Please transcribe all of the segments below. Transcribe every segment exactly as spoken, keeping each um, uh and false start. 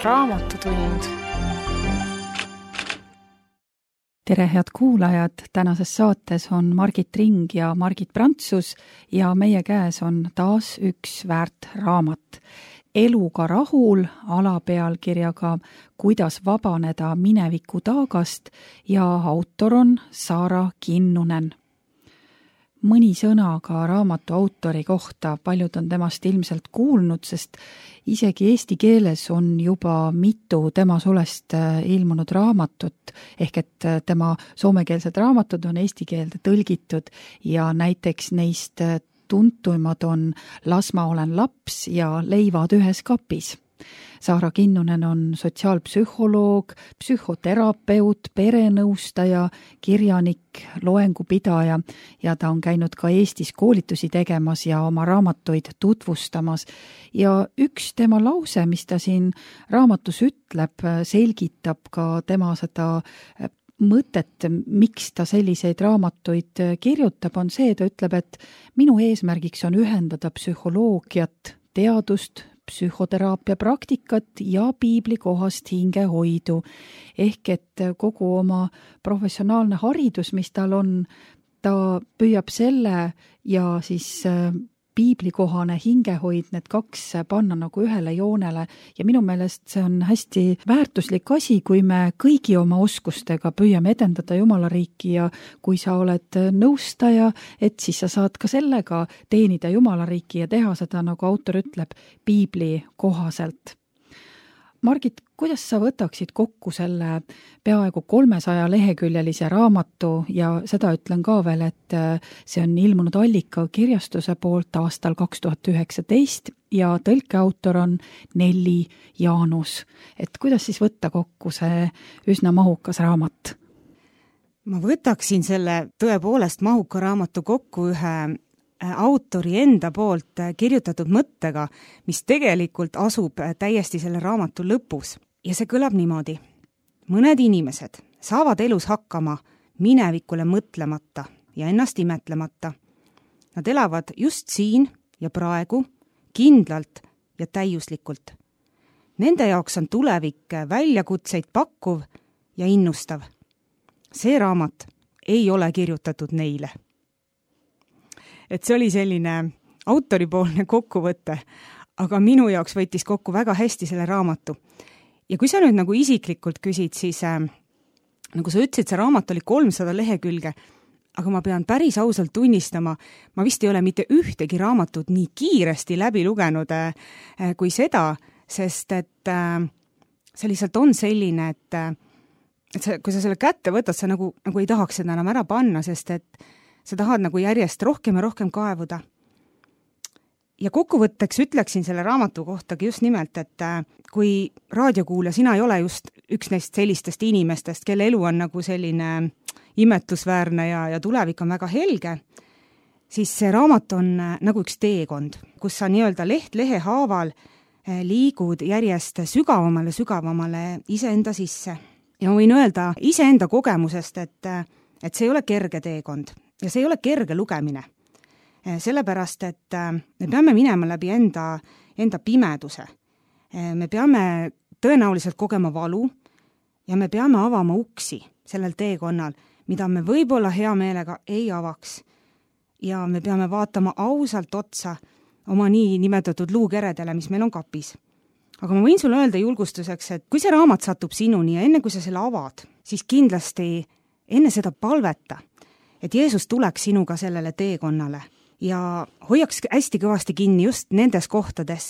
Raamatutund. Tere, head kuulajad! Tänases saates on Margit Ring ja Margit Prantsus ja meie käes on taas üks väärt raamat. Eluga rahul alapealkirjaga Kuidas vabaneda mineviku taagast ja autor on Saara Kinnunen. Mõni sõna ka raamatu autori kohta, paljud on temast ilmselt kuulnud, sest isegi eesti keeles on juba mitu tema sulest ilmunud raamatut, ehk et tema soomekeelsed raamatud on eesti keelde tõlgitud ja näiteks neist tuntuimad on Las ma olen laps ja Leivad ühes kapis. Saara Kinnunen on sotsiaalpsühholoog, psühhoterapeut, perenõustaja, kirjanik, loengupidaja ja ta on käinud ka Eestis koolitusi tegemas ja oma raamatuid tutvustamas. Ja üks tema lause, mis ta siin raamatus ütleb, selgitab ka tema seda mõtet, miks ta selliseid raamatuid kirjutab, on see, ta ütleb, et minu eesmärgiks on ühendada psühholoogiat, teadust, psühhoteraapia praktikat ja piiblikohast hingehoidu. Ehk et kogu oma professionaalne haridus, mis tal on, ta püüab selle ja siis piiblikohane hingehoid, need kaks panna nagu ühele joonele ja minu meelest see on hästi väärtuslik asi, kui me kõigi oma oskustega püüame edendada Jumala riiki ja kui sa oled nõustaja, et siis sa saad ka sellega teenida Jumala riiki ja teha seda, nagu autor ütleb, piibli kohaselt. Margit, kuidas sa võtaksid kokku selle peaaegu kolmesaja leheküljelise raamatu ja seda ütlen ka veel, et see on ilmunud Allika kirjastuse poolt aastal kaks tuhat üheksateist ja tõlkeautor on Nelli Jaanus. Et kuidas siis võtta kokku see üsna mahukas raamat? Ma võtaksin selle tõepoolest mahuka raamatu kokku ühe autori enda poolt kirjutatud mõttega, mis tegelikult asub täiesti selle raamatu lõpus. Ja see kõlab niimoodi. Mõned inimesed saavad elus hakkama minevikule mõtlemata ja ennast imetlemata. Nad elavad just siin ja praegu, kindlalt ja täiuslikult. Nende jaoks on tulevik väljakutseid pakkuv ja innustav. See raamat ei ole kirjutatud neile. Et see oli selline autoripoolne kokkuvõte, aga minu jaoks võttis kokku väga hästi selle raamatu. Ja kui sa nüüd nagu isiklikult küsid, siis äh, nagu sa ütlesid, see raamat oli kolmsada lehekülge, aga ma pean päris ausalt tunnistama, ma vist ei ole mitte ühtegi raamatut nii kiiresti läbi lugenud äh, kui seda, sest et äh, see lihtsalt on selline, et, äh, et sa, kui sa selle kätte võtad, sa nagu, nagu ei tahaks seda enam ära panna, sest et sa tahad nagu järjest rohkem ja rohkem kaevuda. Ja kokkuvõtteks ütleksin selle raamatu kohtagi just nimelt, et kui raadiokuulja, sina ei ole just üks neist sellistest inimestest, kelle elu on nagu selline imetlusväärne ja, ja tulevik on väga helge, siis see raamat on nagu üks teekond, kus sa nii-öelda leht lehe haaval liigud järjest sügavamale, sügavamale iseenda sisse. Ja ma võin öelda iseenda kogemusest, et, et see ei ole kerge teekond. Ja see ei ole kerge lugemine, sellepärast, et me peame minema läbi enda, enda pimeduse. Me peame tõenäoliselt kogema valu ja me peame avama uksi sellel teekonnal, mida me võib-olla hea meelega ei avaks. Ja me peame vaatama ausalt otsa oma nii nimetatud luukeredele, mis meil on kapis. Aga ma võin sulle öelda julgustuseks, et kui see raamat satub sinuni ja enne kui sa selle avad, siis kindlasti enne seda palveta, et Jeesus tuleks sinuga sellele teekonnale ja hoiaks hästi kõvasti kinni just nendes kohtades,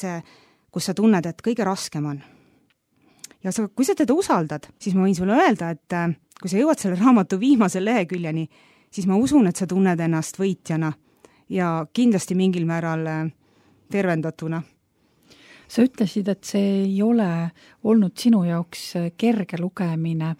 kus sa tunned, et kõige raskem on. Ja sa, kui sa teda usaldad, siis ma võin sulle öelda, et kui sa jõuad selle raamatu viimase leheküljeni, siis ma usun, et sa tunned ennast võitjana ja kindlasti mingil määral tervendatuna. Sa ütlesid, et see ei ole olnud sinu jaoks kerge lugemine.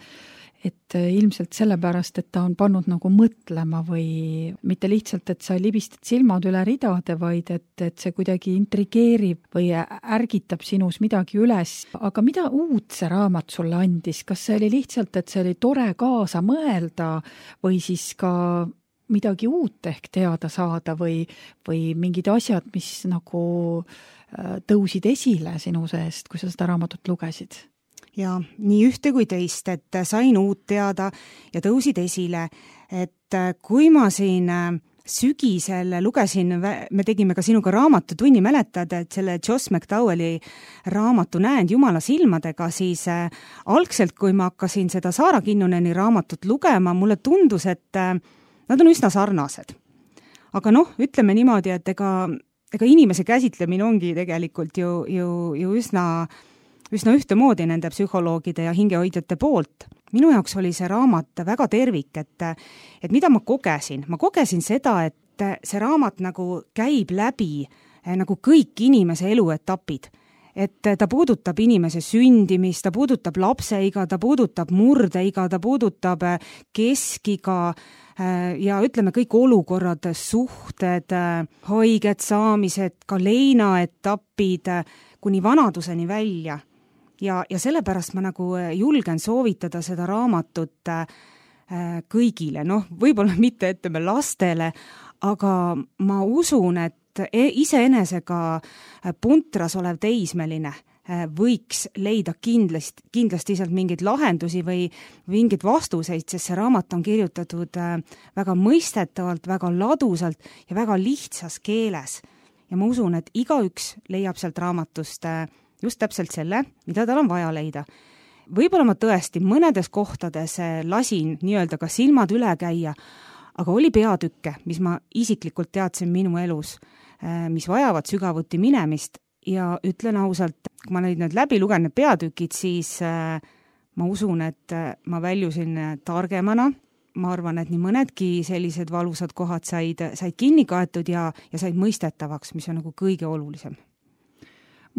et ilmselt sellepärast, et ta on pannud nagu mõtlema või mitte lihtsalt, et sa libistad silmad üle ridade, vaid et, et see kuidagi intrigeerib või ärgitab sinus midagi üles. Aga mida uut see raamat sulle andis? Kas see oli lihtsalt, et see oli tore kaasa mõelda või siis ka midagi uut ehk teada saada või, või mingid asjad, mis nagu tõusid esile sinu seest, kui sa seda raamatut lugesid? Ja nii ühte kui teist, et sain uut teada ja tõusid esile, et kui ma siin sügisel lugesin, me tegime ka sinuga raamatutunni, mäletad, et selle Joss McDowelli raamatu Näend Jumala silmadega, siis algselt, kui ma hakkasin seda Saara Kinnuneni raamatut lugema, mulle tundus, et nad on üsna sarnased. Aga noh, ütleme niimoodi, et ega, ega inimese käsitlemine ongi tegelikult ju, ju, ju üsna, üsna ühtemoodi nende psühholoogide ja hingehoidjate poolt. Minu jaoks oli see raamat väga tervik, et, et mida ma kogesin? Ma kogesin seda, et see raamat nagu käib läbi nagu kõik inimese eluetapid. Et ta puudutab inimese sündimist, ta puudutab lapseiga, ta puudutab murdeiga, ta puudutab keskiga ja ütleme kõik olukorrad, suhted, haiged saamised, ka leinaetapid kuni vanaduseni välja. Ja, ja sellepärast ma nagu julgen soovitada seda raamatut kõigile, noh, võib-olla mitte ütleme lastele, aga ma usun, et iseenesega puntras olev teismeline võiks leida kindlasti, kindlasti sealt mingeid lahendusi või mingeid vastuseid, sest see raamat on kirjutatud väga mõistetavalt, väga ladusalt ja väga lihtsas keeles. Ja ma usun, et igaüks leiab sealt raamatust just täpselt selle, mida tal on vaja leida. Võib-olla ma tõesti mõnedes kohtades lasin nii-öelda ka silmad üle käia, aga oli peatükke, mis ma isiklikult teadsin minu elus, mis vajavad sügavuti minemist ja ütlen ausalt, kui ma neid nüüd läbi lugen need peatükid, siis ma usun, et ma väljusin targemana. Ma arvan, et nii mõnedki sellised valusad kohad said, said kinni kaetud ja, ja said mõistetavaks, mis on nagu kõige olulisem.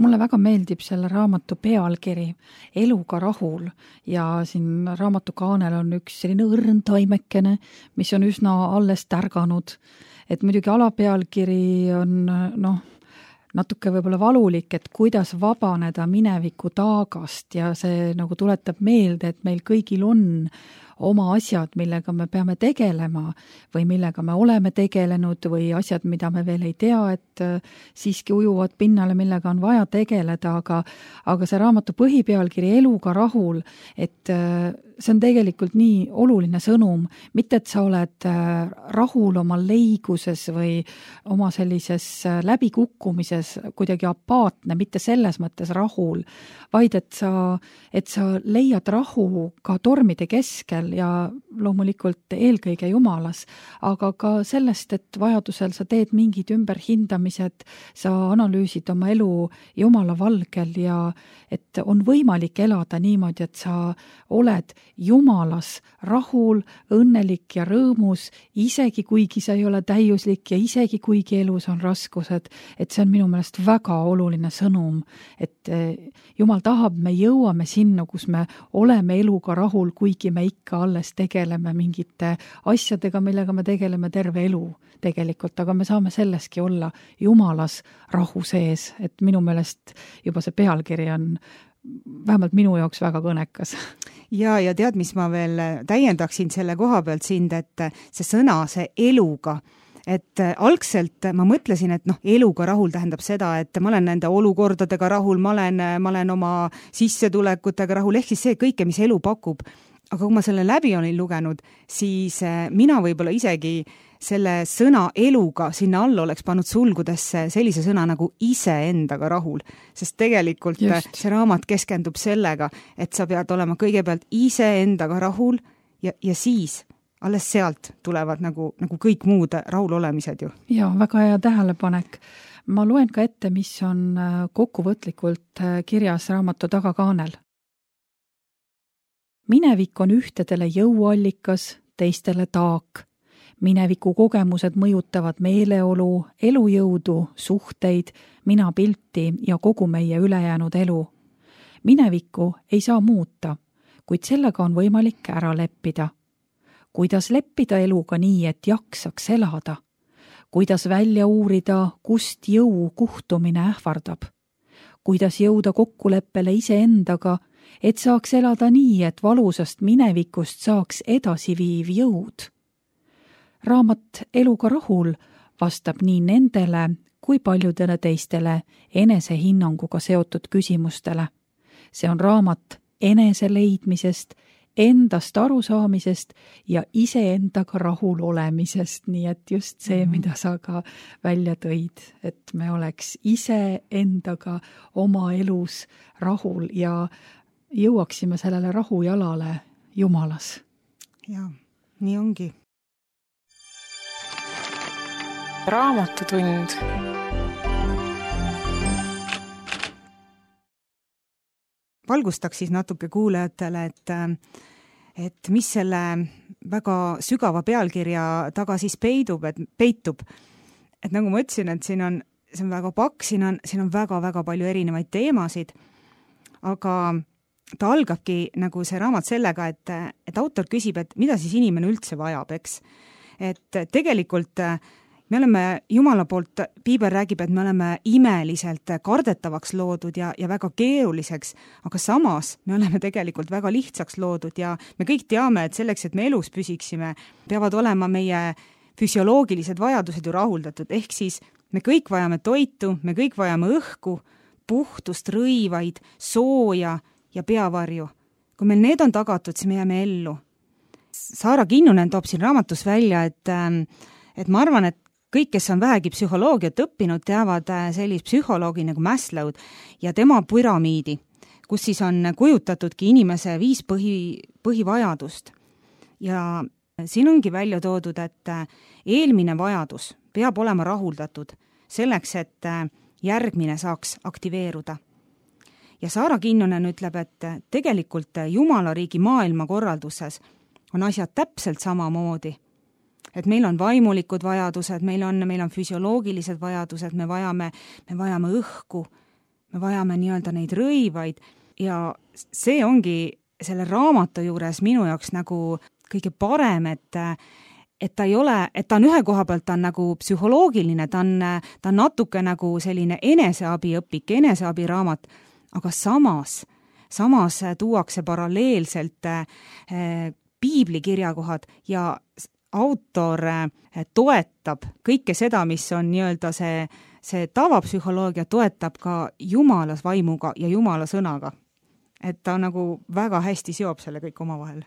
Mulle väga meeldib selle raamatu pealkiri Eluga rahul ja siin raamatu kaanel on üks selline õrn taimekene, mis on üsna alles tärganud. Et muidugi alapealkiri on noh, natuke võib-olla valulik, et kuidas vabaneda mineviku taagast ja see nagu tuletab meelde, et meil kõigil on oma asjad, millega me peame tegelema või millega me oleme tegelenud või asjad, mida me veel ei tea, et siiski ujuvad pinnale, millega on vaja tegeleda, aga, aga see raamatu põhipealkiri Eluga rahul, et see on tegelikult nii oluline sõnum, mitte et sa oled rahul oma leiguses või oma sellises läbikukkumises kuidagi apaatne, mitte selles mõttes rahul, vaid et sa, et sa leiad rahu ka tormide keskel ja loomulikult eelkõige Jumalas, aga ka sellest, et vajadusel sa teed mingid ümberhindamised, sa analüüsid oma elu Jumala valgel ja et on võimalik elada niimoodi, et sa oled Jumalas rahul, õnnelik ja rõõmus, isegi kuigi sa ei ole täiuslik ja isegi kuigi elus on raskused, et see on minu meelest väga oluline sõnum, et Jumal tahab, me jõuame sinna, kus me oleme eluga rahul, kuigi me ikka alles tegeleme mingite asjadega, millega me tegeleme terve elu tegelikult, aga me saame selleski olla Jumalas rahu sees, et minu meelest juba see pealkiri on vähemalt minu jaoks väga kõnekas. Ja, ja tead, mis ma veel täiendaksin selle koha pealt sind, et see sõna, see eluga, et algselt ma mõtlesin, et noh, eluga rahul tähendab seda, et ma olen nende olukordadega rahul, ma olen, ma olen oma sissetulekutega rahul, ehk siis see kõike, mis elu pakub. Aga kui ma selle läbi olin lugenud, siis mina võib-olla isegi selle sõna eluga sinna all oleks pannud sulgudesse sellise sõna nagu iseendaga rahul, sest tegelikult Just. see raamat keskendub sellega, et sa pead olema kõigepealt iseendaga rahul ja, ja siis alles sealt tulevad nagu, nagu kõik muud rahulolemised ju. Ja, väga hea tähelepanek. Ma loen ka ette, mis on kokkuvõtlikult kirjas raamatu tagakaanel. Minevik on ühtedele jõuallikas, teistele taak. Mineviku kogemused mõjutavad meeleolu, elujõudu, suhteid, minapilti ja kogu meie ülejäänud elu. Minevikku ei saa muuta, kuid sellega on võimalik ära leppida. Kuidas leppida eluga nii, et jaksaks elada? Kuidas välja uurida, kust jõu kuhtumine ähvardab? Kuidas jõuda kokkuleppele iseendaga, et saaks elada nii, et valusast minevikust saaks edasiviiv jõud? raamat Eluga rahul vastab nii nendele kui paljudele teistele enesehinnanguga seotud küsimustele. See on raamat enese leidmisest, endast arusaamisest ja iseendaga rahul olemisest, nii et just see, mm-hmm. mida sa ka välja tõid, et me oleks iseendaga oma elus rahul ja jõuaksime sellele rahujalale Jumalas. Jaa, nii ongi. Raamatutund. Valgustaks siis natuke kuulajatele, et, et mis selle väga sügava pealkirja taga siis peidub, et peitub. Et nagu ma ütlesin, et siin on, see on väga pakk, siin on, siin on väga-väga palju erinevaid teemasid, aga ta algabki nagu see raamat sellega, et, et autor küsib, et mida siis inimene üldse vajab, eks. Et tegelikult me oleme Jumala poolt, Piibel räägib, et me oleme imeliselt kardetavaks loodud ja, ja väga keeruliseks, aga samas me oleme tegelikult väga lihtsaks loodud ja me kõik teame, et selleks, et me elus püsiksime, peavad olema meie füsioloogilised vajadused ju rahuldatud, ehk siis me kõik vajame toitu, me kõik vajame õhku, puhtust, rõivaid, sooja ja peavarju. Kui meil need on tagatud, siis me jääme ellu. Saara Kinnunen toob siin raamatus välja, et, et ma arvan, et kõik, kes on vähegi psühholoogiat õppinud, teavad sellist psühholoogi nagu Maslow'd ja tema püramiidi, kus siis on kujutatudki inimese viis põhi, põhivajadust. Ja siin ongi välja toodud, et eelmine vajadus peab olema rahuldatud selleks, et järgmine saaks aktiveeruda. Ja Saara Kinnunen ütleb, et tegelikult Jumala riigi maailmakorralduses on asjad täpselt samamoodi. Et meil on vaimulikud vajadused, meil on, meil on füsioloogilised vajadused, me vajame, me vajame õhku, me vajame nii-öelda neid rõivaid ja see ongi selle raamatu juures minu jaoks nagu kõige parem, et, et ta ei ole, et ta on ühe koha pealt, ta on nagu psühholoogiline, ta on, ta on natuke nagu selline eneseabiõpik, eneseabiraamat, aga samas, samas tuuakse paralleelselt eh, piiblikirjakohad ja autor toetab kõike seda, mis on nii-öelda see, see tavapsühholoogia toetab ka Jumalas vaimuga ja Jumala sõnaga. Et ta nagu väga hästi seob selle kõik omavahel.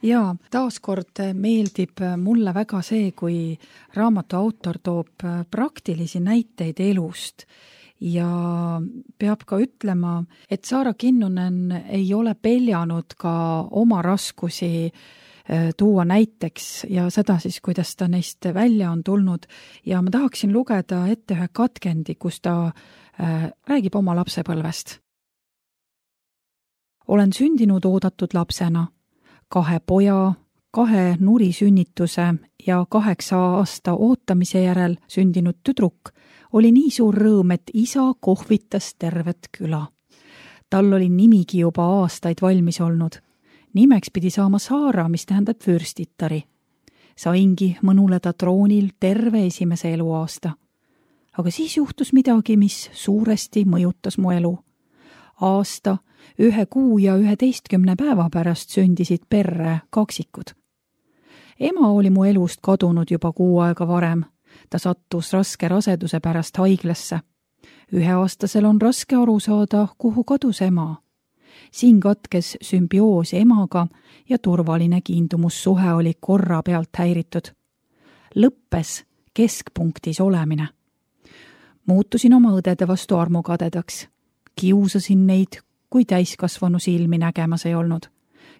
Jaa, taaskord meeldib mulle väga see, kui raamatu autor toob praktilisi näiteid elust ja peab ka ütlema, et Saara Kinnunen ei ole peljanud ka oma raskusi tuua näiteks ja seda siis, kuidas ta neist välja on tulnud. Ja ma tahaksin lugeda ette ühe katkendi, kus ta äh, räägib oma lapsepõlvest. Olen sündinud oodatud lapsena, kahe poja, kahe nuri sünnituse ja kaheksa aasta ootamise järel sündinud tüdruk oli nii suur rõõm, et isa kohvitas tervet küla. Tal oli nimigi juba aastaid valmis olnud. Nimeks pidi saama Saara, mis tähendab vürstittari. Saingi mõnuleda troonil terve esimese eluaasta. Aga siis juhtus midagi, mis suuresti mõjutas mu elu. Aasta, ühe kuu ja üheteistkümne päeva pärast sündisid perre kaksikud. Ema oli mu elust kadunud juba kuu aega varem. Ta sattus raske raseduse pärast haiglasse. Üheaastasel on raske aru saada, kuhu kadus ema. Siin katkes sümbioos emaga ja turvaline kiindumussuhe oli korra pealt häiritud. Lõppes keskpunktis olemine. Muutusin oma õdede vastu armukadedaks. Kiusasin neid, kui täiskasvanu silmi nägemas ei olnud.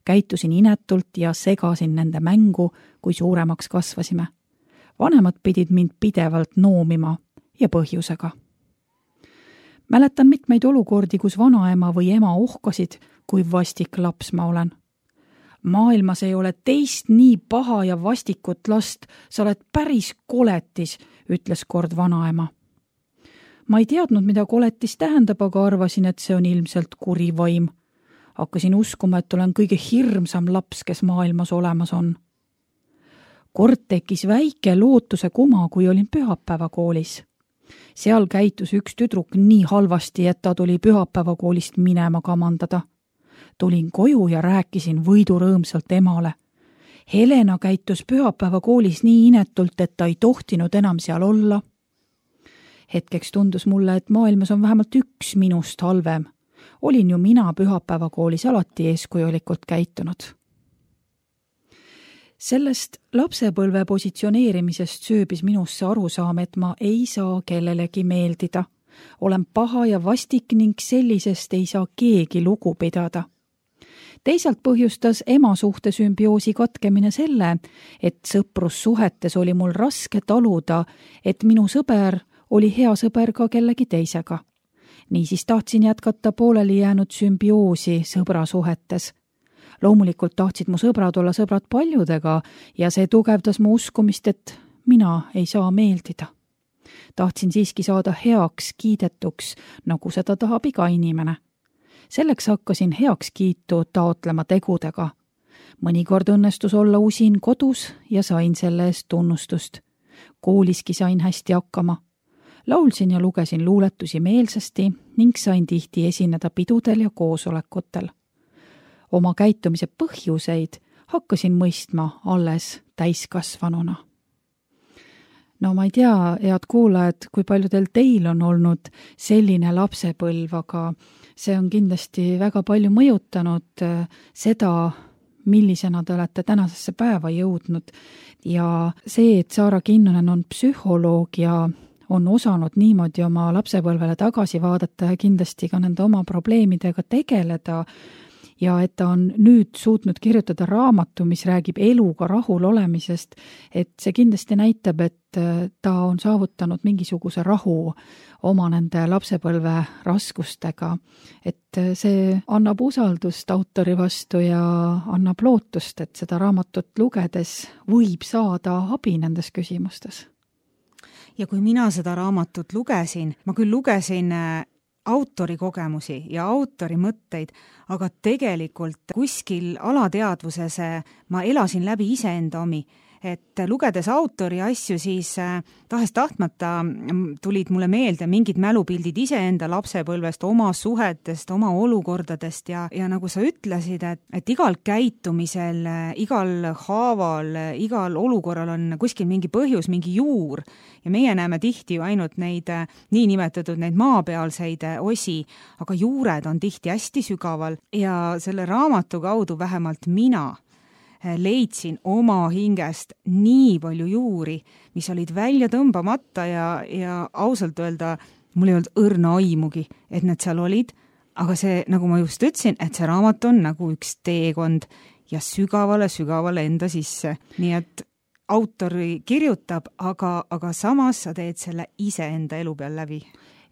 Käitusin inetult ja segasin nende mängu, kui suuremaks kasvasime. Vanemad pidid mind pidevalt noomima ja põhjusega. Mäletan mitmeid olukordi, kus vanaema või ema ohkasid, kui vastik laps ma olen. Maailmas ei ole teist nii paha ja vastikut last, sa oled päris koletis, ütles kord vanaema. Ma ei teadnud, mida koletis tähendab, aga arvasin, et see on ilmselt kuri vaim. Hakkasin uskuma, et olen kõige hirmsam laps, kes maailmas olemas on. Kord tekkis väike lootuse kuma, kui olin pühapäevakoolis. Seal käitus üks tüdruk nii halvasti, et ta tuli pühapäevakoolist minema kamandada. Tulin koju ja rääkisin võidurõõmsalt emale. Helena käitus pühapäeva koolis nii inetult, et ta ei tohtinud enam seal olla. Hetkeks tundus mulle, et maailmas on vähemalt üks minust halvem. Olin ju mina pühapäeva koolis alati eeskujulikult käitunud. Sellest lapsepõlve positsioneerimisest sööbis minusse arusaam, et ma ei saa kellelegi meeldida. Olen paha ja vastik ning sellisest ei saa keegi lugu pidada. Teisalt põhjustas ema suhte sümbioosi katkemine selle, et sõprussuhetes oli mul raske taluda, et minu sõber oli hea sõber ka kellegi teisega. Niisiis tahtsin jätkata pooleli jäänud sümbioosi sõbrasuhetes. Loomulikult tahtsid mu sõbrad olla sõbrad paljudega ja see tugevdas mu uskumist, et mina ei saa meeldida. Tahtsin siiski saada heaks kiidetuks, nagu seda tahab iga inimene. Selleks hakkasin heaks kiitu taotlema tegudega. Mõnikord õnnestus olla usin kodus ja sain selle eest tunnustust. Kooliski sain hästi hakkama. Laulsin ja lugesin luuletusi meelsasti ning sain tihti esineda pidudel ja koosolekutel. Oma käitumise põhjuseid hakkasin mõistma alles täiskasvanuna. No ma ei tea, head kuulajad, kui paljudel teil on olnud selline lapsepõlv, aga see on kindlasti väga palju mõjutanud seda, millisena te olete tänasesse päeva jõudnud. Ja see, et Saara Kinnunen on psühholoog ja on osanud niimoodi oma lapsepõlvele tagasi vaadata ja kindlasti ka nende oma probleemidega tegeleda, ja et ta on nüüd suutnud kirjutada raamatu, mis räägib eluga rahul olemisest, et see kindlasti näitab, et ta on saavutanud mingisuguse rahu oma nende lapsepõlve raskustega. Et see annab usaldust autori vastu ja annab lootust, et seda raamatut lugedes võib saada abi nendes küsimustes. Ja kui mina seda raamatut lugesin, ma küll lugesin autori kogemusi ja autori mõtteid, aga tegelikult kuskil alateadvuses ma elasin läbi iseenda omi. Et lugedes autori asju, siis tahes tahtmata tulid mulle meelde mingid mälupildid iseenda lapsepõlvest, oma suhetest, oma olukordadest ja, ja nagu sa ütlesid, et, et igal käitumisel, igal haaval, igal olukorral on kuskil mingi põhjus, mingi juur ja meie näeme tihti ju ainult neid niinimetatud neid maapealseid osi, aga juured on tihti hästi sügaval ja selle raamatu kaudu vähemalt mina leidsin oma hingest nii palju juuri, mis olid välja tõmbamata ja, ja ausalt öelda, mul ei olnud õrna aimugi, et need seal olid, aga see, nagu ma just ütlesin, et see raamat on nagu üks teekond ja sügavale, sügavale enda sisse. Nii et autori kirjutab, aga, aga samas sa teed selle ise enda elu peal läbi.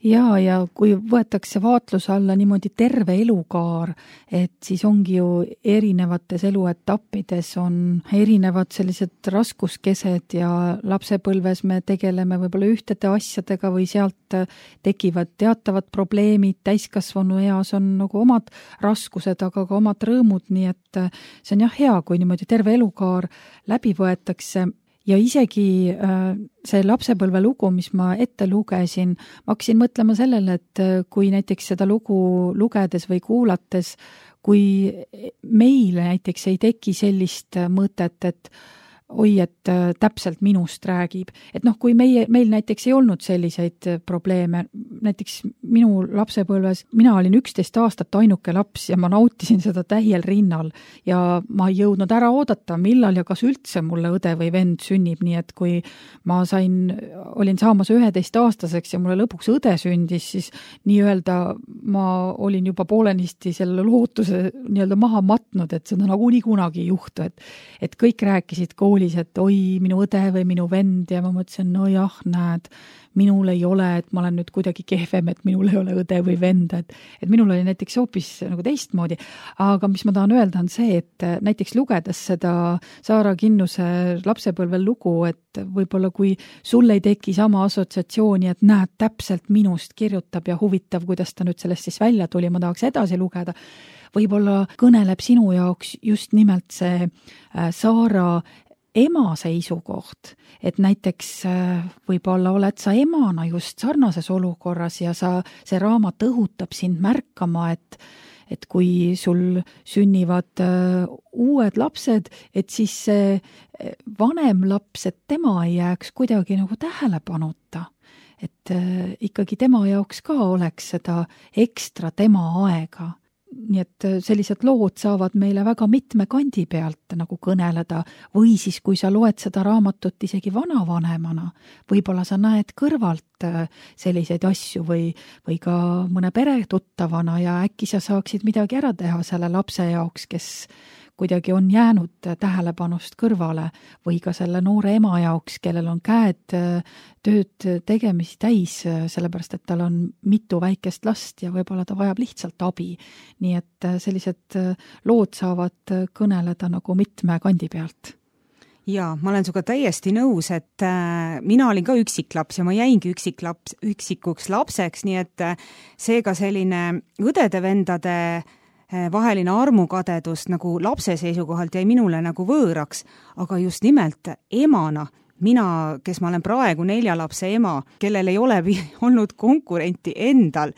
Ja, ja kui võetakse vaatluse alla niimoodi terve elukaar, et siis ongi ju erinevates eluetappides on erinevad sellised raskuskesed ja lapsepõlves me tegeleme võib-olla ühtede asjadega või sealt tekivad teatavad probleemid, täiskasvanu eas on nagu omad raskused, aga ka omad rõõmud, nii et see on jah hea, kui niimoodi terve elukaar läbi võetakse. Ja isegi see lapsepõlve lugu, mis ma ette lugesin, ma hakkasin mõtlema sellele, et kui näiteks seda lugu lugedes või kuulates, kui meile näiteks ei teki sellist mõtet, et oi, et täpselt minust räägib. Et noh, kui meie, meil näiteks ei olnud selliseid probleeme, näiteks minu lapsepõlves, mina olin üksteist aastat ainuke laps ja ma nautisin seda täiel rinnal ja ma ei jõudnud ära oodata, millal ja kas üldse mulle õde või vend sünnib, nii et kui ma sain, olin saamas üheteist aastaseks ja mulle lõpuks õde sündis, siis nii-öelda ma olin juba poolenisti selle lootuse nii-öelda maha matnud, et seda nagu nii kunagi ei juhtu, et, et kõik rääkisid kooli et oi, minu õde või minu vend ja ma mõtlesin, no jah, näed, minul ei ole, et ma olen nüüd kuidagi kehvem, et minul ei ole õde või vend, et, et minul oli näiteks hoopis nagu teistmoodi. Aga mis ma tahan öelda on see, et näiteks lugedes seda Saara Kinnuse lapsepõlvel lugu, et võib-olla kui sul ei teki sama assotsiatsiooni, et näed, täpselt minust kirjutab ja huvitav, kuidas ta nüüd sellest siis välja tuli, ma tahaks edasi lugeda, võib-olla kõneleb sinu jaoks just nimelt see Saara ema seisukoht, et näiteks võib-olla oled sa emana just sarnases olukorras ja sa, see raamat õhutab sind märkama, et, et kui sul sünnivad uued lapsed, et siis see vanem laps, et tema ei jääks kuidagi nagu tähelepanuta. Et ikkagi tema jaoks ka oleks seda ekstra tema aega. Nii et sellised lood saavad meile väga mitme kandi pealt nagu kõneleda või siis, kui sa loed seda raamatut isegi vanavanemana, võib-olla sa näed kõrvalt selliseid asju või, või ka mõne pere tuttavana ja äkki sa saaksid midagi ära teha selle lapse jaoks, kes kuidagi on jäänud tähelepanust kõrvale või ka selle noore ema jaoks, kellel on käed tööd tegemisi täis, sellepärast et tal on mitu väikest last ja võib-olla ta vajab lihtsalt abi. Nii et sellised lood saavad kõneleda nagu mitme kandi pealt. Jaa, ma olen suga täiesti nõus, et äh, mina olin ka üksiklaps ja ma jäingi üksiklaps, üksikuks lapseks, nii et äh, seega selline õdede-vendade vaheline armukadedus nagu lapse seisukohalt jäi minule nagu võõraks, aga just nimelt emana, mina, kes ma olen praegu nelja lapse ema, kellel ei ole olnud konkurenti endal,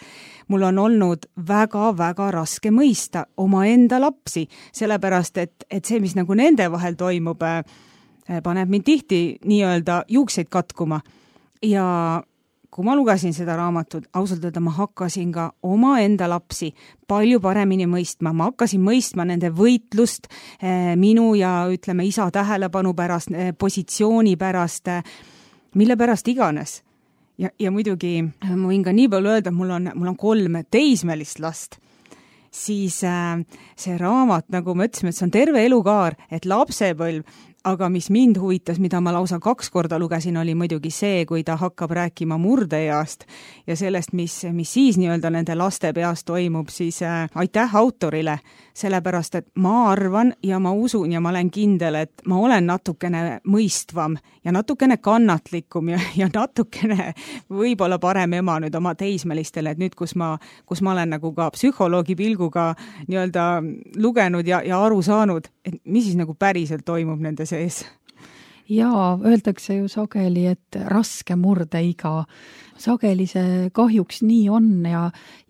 mul on olnud väga-väga raske mõista oma enda lapsi, sellepärast et, et see, mis nagu nende vahel toimub, paneb mind tihti nii-öelda juukseid katkuma ja kui ma lugesin seda raamatut, ausalt öelda ma hakkasin ka oma enda lapsi palju paremini mõistma. Ma hakkasin mõistma nende võitlust eh, minu ja ütleme isa tähelepanu pärast, eh, positsiooni pärast, eh, mille pärast iganes. Ja, ja muidugi ma võin ka nii palju öelda, mul on, mul on kolm teismelist last. Siis äh, see raamat, nagu me ütlesime, et see on terve elukaar, et lapsepõlv, aga mis mind huvitas, mida ma lausa kaks korda lugesin, oli muidugi see, kui ta hakkab rääkima murdeeast ja sellest, mis, mis siis nii-öelda nende laste peas toimub, siis äh, aitäh autorile, sellepärast, et ma arvan ja ma usun ja ma olen kindel, et ma olen natukene mõistvam ja natukene kannatlikum ja, ja natukene võib-olla parem ema nüüd oma teismelistele, et nüüd, kus ma, kus ma olen nagu ka psühholoogi pilguga nii-öelda lugenud ja, ja aru saanud, et mis siis nagu päriselt toimub nende sees. Jaa, öeldakse ju sageli, et raske murdeiga. Sageli see kahjuks nii on ja,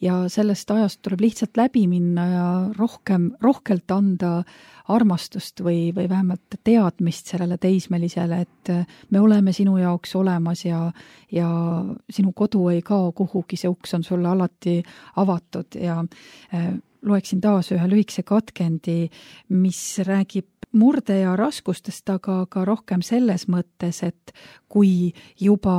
ja sellest ajast tuleb lihtsalt läbi minna ja rohkem, rohkelt anda armastust või, või vähemalt teadmist sellele teismelisele, et me oleme sinu jaoks olemas ja, ja sinu kodu ei kao kuhugi, see uks on sulle alati avatud ja äh, loeksin taas ühe lühikese katkendi, mis räägib murde ja raskustest, aga ka rohkem selles mõttes, et kui juba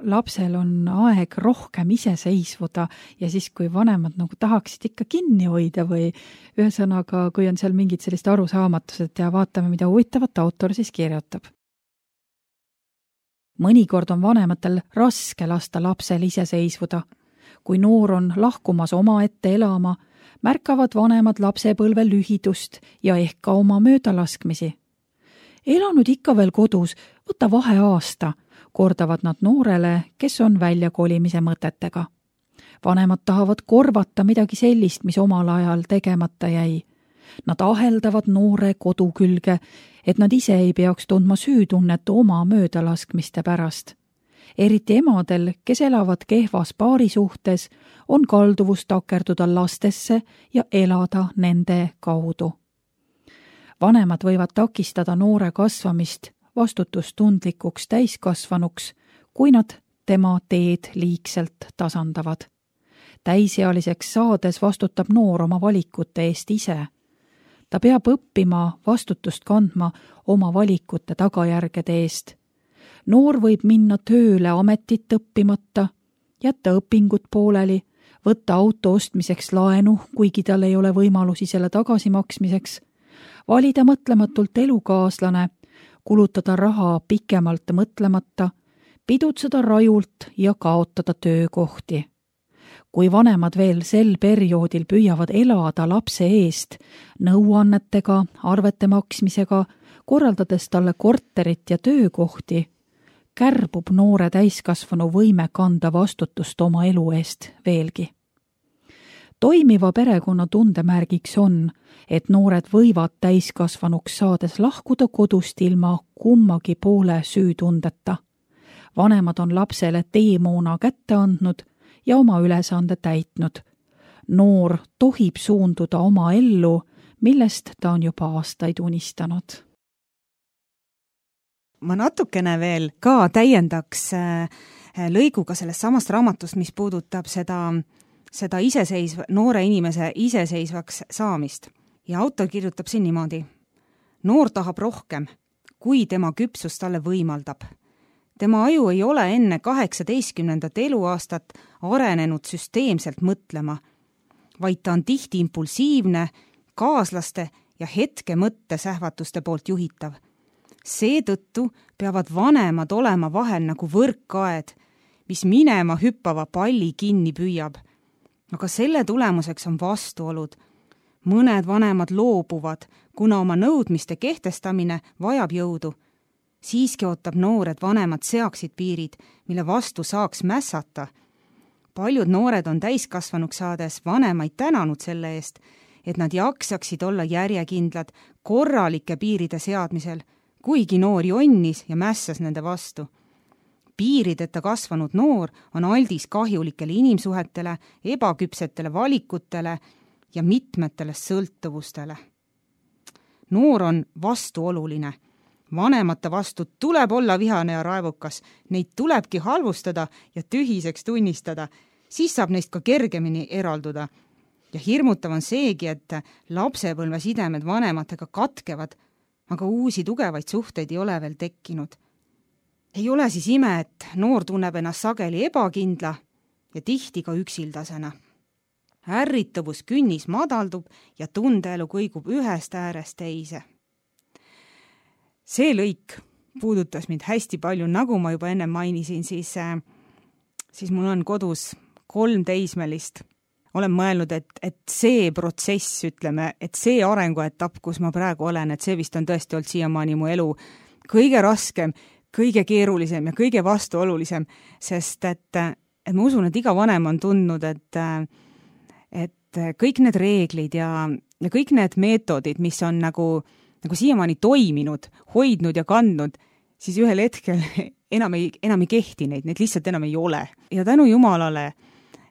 lapsel on aeg rohkem iseseisvuda ja siis, kui vanemad nagu tahaksid ikka kinni hoida või ühesõnaga, kui on seal mingid sellist arusaamatused ja vaatame, mida huvitavat autor siis kirjutab. Mõnikord on vanematel raske lasta lapsel iseseisvuda. Kui noor on lahkumas omaette elama, märkavad vanemad lapsepõlve lühidust ja ehk ka oma möödalaskmisi. Elanud ikka veel kodus, võta vahe aasta, kordavad nad noorele, kes on välja kolimise mõtetega. Vanemad tahavad korvata midagi sellist, mis omal ajal tegemata jäi. Nad aheldavad noore kodu külge, et nad ise ei peaks tundma süütunnet oma möödalaskmiste pärast. Eriti emadel, kes elavad kehvas paarisuhtes, on kalduvus takerduda lastesse ja elada nende kaudu. Vanemad võivad takistada noore kasvamist vastutustundlikuks täiskasvanuks, kui nad tema teed liigselt tasandavad. Täisealiseks saades vastutab noor oma valikute eest ise. Ta peab õppima vastutust kandma oma valikute tagajärgede eest. Noor võib minna tööle ametit õppimata, jätta õpingud pooleli, võtta auto ostmiseks laenu, kuigi tal ei ole võimalusi selle tagasimaksmiseks, valida mõtlematult elukaaslane, kulutada raha pikemalt mõtlemata, pidutseda rajult ja kaotada töökohti. Kui vanemad veel sel perioodil püüavad elada lapse eest, nõuannetega, arvete maksmisega, korraldades talle korterit ja töökohti, kärbub noore täiskasvanu võime kanda vastutust oma elu eest veelgi. Toimiva perekonna tundemärgiks on, et noored võivad täiskasvanuks saades lahkuda kodust ilma kummagi poole süütundeta. Vanemad on lapsele teemoona kätte andnud ja oma ülesande täitnud. noor tohib suunduda oma ellu, millest ta on juba aastaid unistanud. Ma natukene veel ka täiendaks lõiguga sellest samast raamatust, mis puudutab seda, seda iseseisva, noore inimese iseseisvaks saamist. Ja autor kirjutab siin niimoodi. Noor tahab rohkem, kui tema küpsus talle võimaldab. Tema aju ei ole enne kaheksateistkümnendat eluaastat arenenud süsteemselt mõtlema, vaid ta on tihti impulsiivne, kaaslaste ja hetke mõttesähvatuste poolt juhitav. Seetõttu peavad vanemad olema vahel nagu võrkkaed, mis minema hüppava palli kinni püüab. Aga selle tulemuseks on vastuolud. Mõned vanemad loobuvad, kuna oma nõudmiste kehtestamine vajab jõudu. Siiski ootab noored vanemad seaksid piirid, mille vastu saaks mässata. Paljud noored on täiskasvanuks saades vanemaid tänanud selle eest, et nad jaksaksid olla järjekindlad korralike piiride seadmisel, kuigi noor jonnis ja mässas nende vastu. Piirideta kasvanud noor on aldis kahjulikele inimsuhetele, ebaküpsetele valikutele ja mitmetele sõltuvustele. Noor on vastuoluline. Vanemate vastu tuleb olla vihane ja raevukas, neid tulebki halvustada ja tühiseks tunnistada, siis saab neist ka kergemini eralduda. Ja hirmutav on seegi, et lapsepõlve sidemed vanematega katkevad, aga uusi tugevaid suhteid ei ole veel tekkinud. Ei ole siis ime, et noor tunneb ennast sageli ebakindla ja tihti ka üksildasena. Ärritavus künnis madaldub ja tundeelu kõigub ühest äärest teise. See lõik puudutas mind hästi palju, nagu ma juba enne mainisin, siis, siis mul on kodus kolm teismelist. Olen mõelnud, et, et see protsess, ütleme, et see arenguetapp, kus ma praegu olen, et see vist on tõesti olnud siiamaani mu elu kõige raskem, kõige keerulisem ja kõige vastuolulisem, sest et, et ma usun, et iga vanem on tundnud, et, et kõik need reeglid ja, ja kõik need meetodid, mis on nagu, nagu siiamaani toiminud, hoidnud ja kandnud, siis ühel hetkel enam ei, enam ei kehti neid, neid lihtsalt enam ei ole. Ja tänu Jumalale,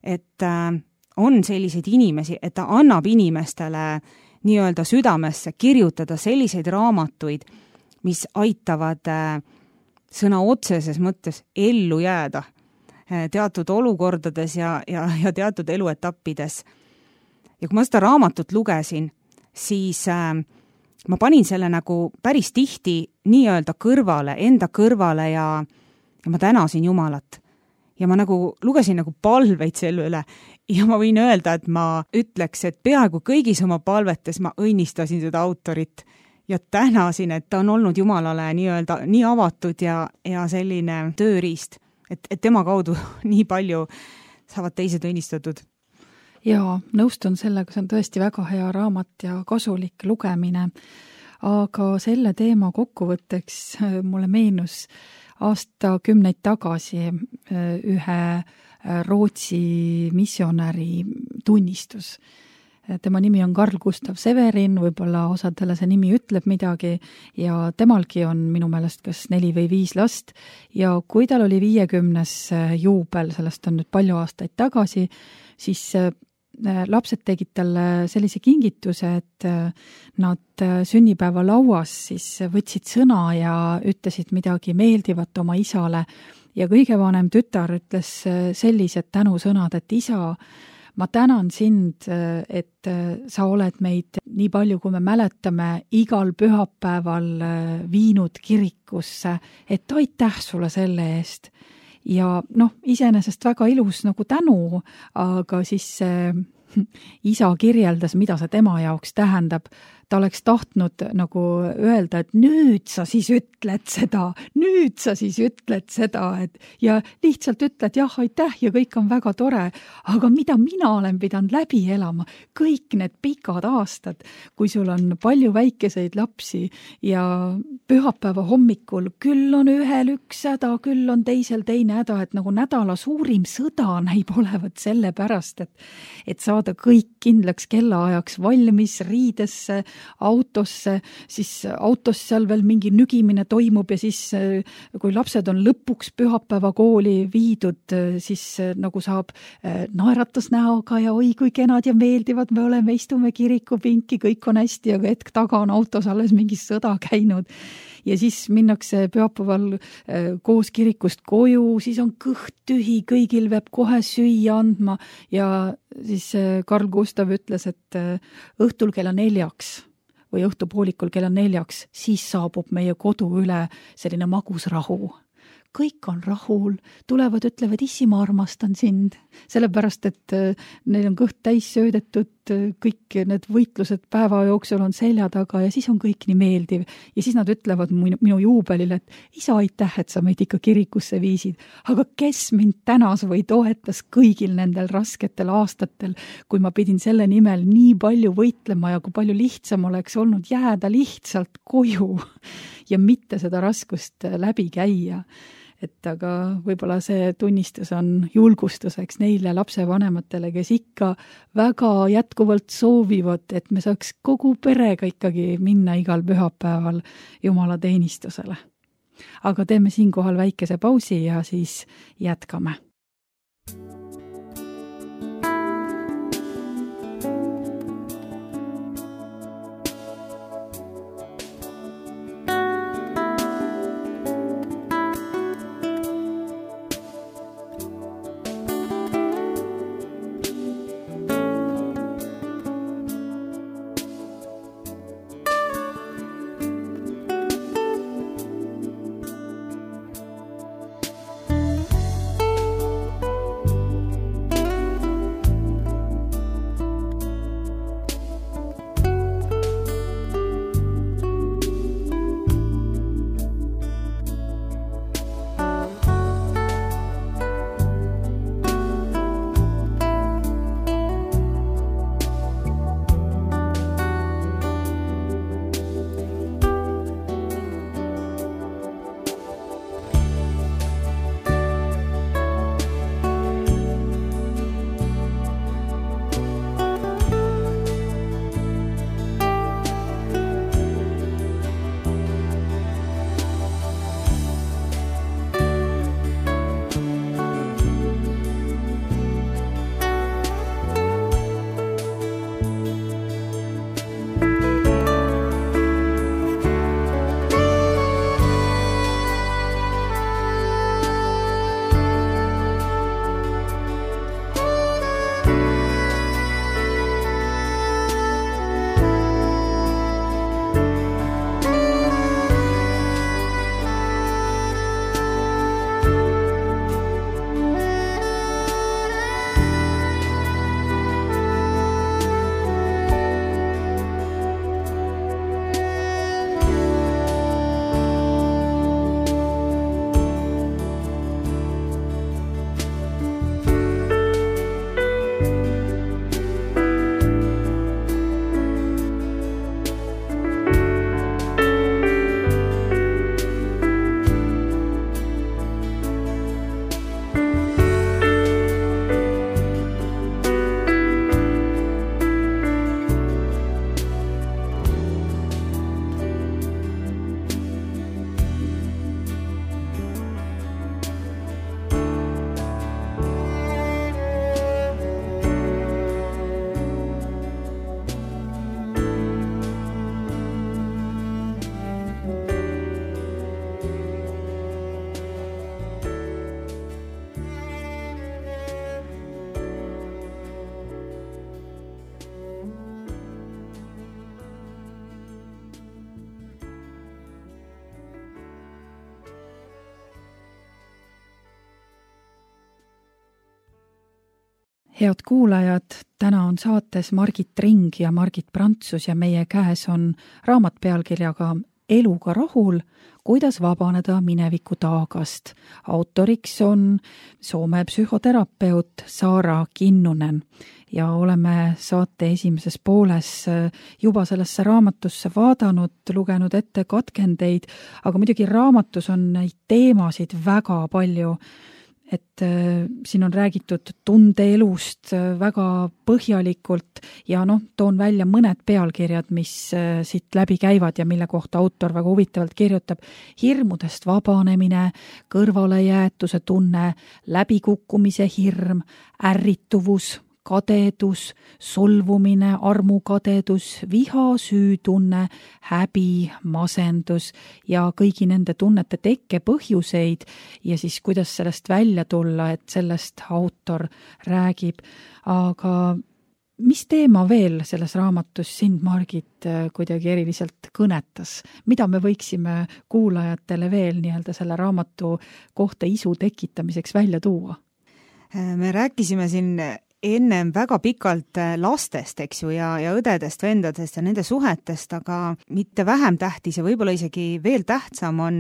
et on selliseid inimesi, et ta annab inimestele nii-öelda südamesse kirjutada selliseid raamatuid, mis aitavad sõna otseses mõttes ellu jääda teatud olukordades ja, ja, ja teatud eluetappides. Ja kui ma seda raamatut lugesin, siis äh, ma panin selle nagu päris tihti nii-öelda kõrvale, enda kõrvale ja, ja ma tänasin Jumalat. Ja ma nagu lugesin nagu palveid selle üle ja ma võin öelda, et ma ütleks, et peaaegu kõigis oma palvetes ma õnnistasin seda autorit ja tänasin, et ta on olnud Jumalale nii-öelda nii avatud ja, ja selline tööriist, et, et tema kaudu nii palju saavad teised õnnistatud. Jaa, nõustun sellega, see on tõesti väga hea raamat ja kasulik lugemine, aga selle teema kokkuvõtteks mulle meenus aastakümneid tagasi ühe Rootsi missionäri tunnistus. Tema nimi on Carl Gustav Severin, võib-olla osadele see nimi ütleb midagi ja temalgi on minu meelest kas neli või viis last ja kui tal oli viiekümnes juubel, sellest on nüüd palju aastaid tagasi, siis lapsed tegid talle sellise kingituse, et nad sünnipäeva lauas siis võtsid sõna ja ütlesid midagi meeldivat oma isale ja kõige vanem tütar ütles sellised tänusõnad, et isa, ma tänan sind, et sa oled meid nii palju, kui me mäletame, igal pühapäeval viinud kirikusse, et aitäh sulle selle eest. Ja noh, iseenesest väga ilus nagu tänu, aga siis äh, isa kirjeldas, mida see tema jaoks tähendab. Ta oleks tahtnud nagu öelda, et nüüd sa siis ütled seda, nüüd sa siis ütled seda, et ja lihtsalt ütled jah, aitäh ja kõik on väga tore, aga mida mina olen pidanud läbi elama, kõik need pikad aastad, kui sul on palju väikeseid lapsi ja pühapäeva hommikul küll on ühel üks häda, küll on teisel teine häda, et nagu nädala suurim sõda näib olevat selle pärast, et, et saada kõik kindlaks kellaajaks valmis riidesse, autosse, siis autos seal veel mingi nügimine toimub ja siis kui lapsed on lõpuks pühapäeva kooli viidud, siis nagu saab naeratusnäoga ja oi kui kenad ja meeldivad, me oleme, istume kirikupinki, kõik on hästi, aga hetk taga on autos alles mingi sõda käinud. Ja siis minnakse pühapäeval koos kirikust koju, siis on kõht tühi, kõigil peab kohe süüa andma ja siis Karl Gustav ütles, et õhtul kella neljaks või õhtupoolikul kella neljaks, siis saabub meie kodu üle selline magus rahu. Kõik on rahul, tulevad, ütlevad, issi, ma armastan sind, sellepärast, et neil on kõht täis söödetud, kõik need võitlused päeva jooksul on selja taga ja siis on kõik nii meeldiv. Ja siis nad ütlevad minu, minu juubelile, et isa, aitäh, et sa meid ikka kirikusse viisid, aga kes mind tänas või toetas kõigil nendel rasketel aastatel, kui ma pidin selle nimel nii palju võitlema ja kui palju lihtsam oleks olnud jääda lihtsalt koju ja mitte seda raskust läbi käia. Et aga võib-olla see tunnistus on julgustuseks neile lapsevanematele, kes ikka väga jätkuvalt soovivad, et me saaks kogu perega ikkagi minna igal pühapäeval Jumala teenistusele. Aga teeme siinkohal väikese pausi ja siis jätkame. Head kuulajad, täna on saates Margit Ring ja Margit Prantsus ja meie käes on raamat pealkirjaga Eluga rahul, kuidas vabaneda mineviku taagast. Autoriks on Soome psühhoterapeut Saara Kinnunen ja oleme saate esimeses pooles juba sellesse raamatusse vaadanud, lugenud ette katkendeid, aga muidugi raamatus on neid teemasid väga palju et äh, siin on räägitud tundeelust äh, väga põhjalikult ja noh, toon välja mõned pealkirjad, mis äh, siit läbi käivad ja mille kohta autor väga huvitavalt kirjutab. Hirmudest vabanemine, kõrvalejäetuse tunne, läbikukkumise hirm, ärrituvus, kadedus, solvumine, armukadedus, viha, süütunne, häbi, masendus ja kõigi nende tunnete tekke põhjuseid ja siis kuidas sellest välja tulla, et sellest autor räägib. Aga mis teema veel selles raamatus sind, Margit, kuidagi eriliselt kõnetas? Mida me võiksime kuulajatele veel nii-öelda selle raamatu kohta isu tekitamiseks välja tuua? Me rääkisime siin ennem väga pikalt lastest, eks ju, ja, ja õdedest, vendadest ja nende suhetest, aga mitte vähem tähtis ja võib-olla isegi veel tähtsam on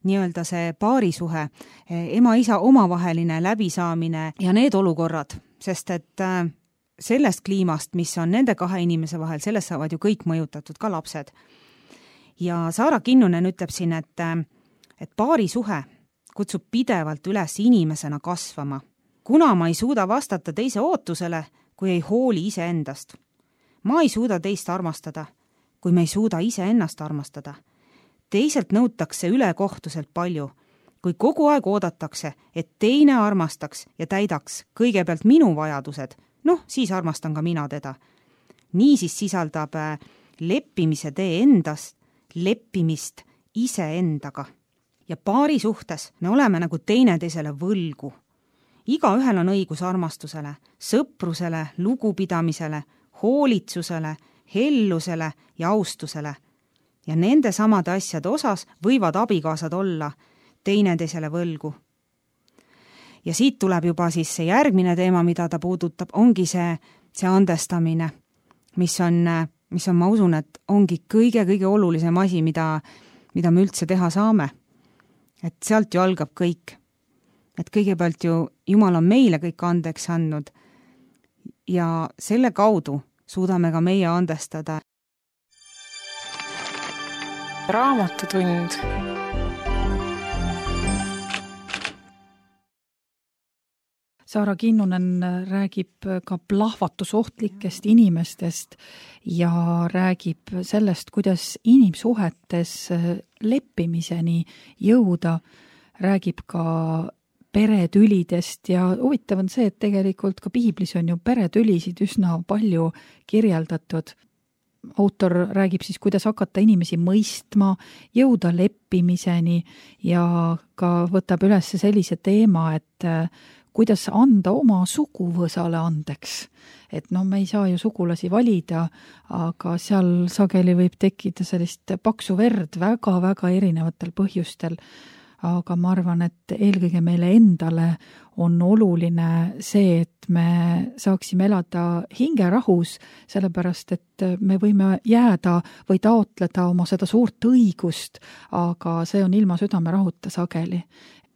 nii-öelda see paarisuhe, ema-isa omavaheline läbisaamine ja need olukorrad, sest et sellest kliimast, mis on nende kahe inimese vahel, sellest saavad ju kõik mõjutatud, ka lapsed. Ja Saara Kinnunen ütleb siin, et, et paarisuhe kutsub pidevalt üles inimesena kasvama, kuna ma ei suuda vastata teise ootusele, kui ei hooli ise endast. Ma ei suuda teist armastada, kui me ei suuda ise ennast armastada. Teiselt nõutakse ülekohtuselt palju, kui kogu aeg oodatakse, et teine armastaks ja täidaks kõigepealt minu vajadused, noh, siis armastan ka mina teda. Niisiis sisaldab leppimise tee endast, leppimist iseendaga. Ja paari suhtes me oleme nagu teineteisele võlgu. Iga ühel on õigus armastusele, sõprusele, lugupidamisele, hoolitsusele, hellusele ja austusele. Ja nende samade asjade osas võivad abikaasad olla teineteisele võlgu. Ja siit tuleb juba siis see järgmine teema, mida ta puudutab, ongi see, see andestamine, mis on, mis on, ma usun, et ongi kõige-kõige olulisem asi, mida, mida me üldse teha saame. Et sealt ju algab kõik. Et kõigepealt ju Jumal on meile kõik andeks andnud ja selle kaudu suudame ka meie andestada. Raamatutund. Saara Kinnunen räägib ka plahvatusohtlikest inimestest ja räägib sellest, kuidas inimsuhetes leppimiseni jõuda, räägib ka peretülidest ja huvitav on see, et tegelikult ka piiblis on ju peretülisid üsna palju kirjeldatud. Autor räägib siis, kuidas hakata inimesi mõistma, jõuda leppimiseni ja ka võtab üles sellise teema, et kuidas anda oma suguvõsale andeks. Et no me ei saa ju sugulasi valida, aga seal sageli võib tekkida sellist paksu verd väga-väga erinevatel põhjustel. Aga ma arvan, et eelkõige meile endale on oluline see, et me saaksime elada hingerahus, sellepärast, et me võime jääda või taotleda oma seda suurt õigust, aga see on ilma südamerahuta sageli.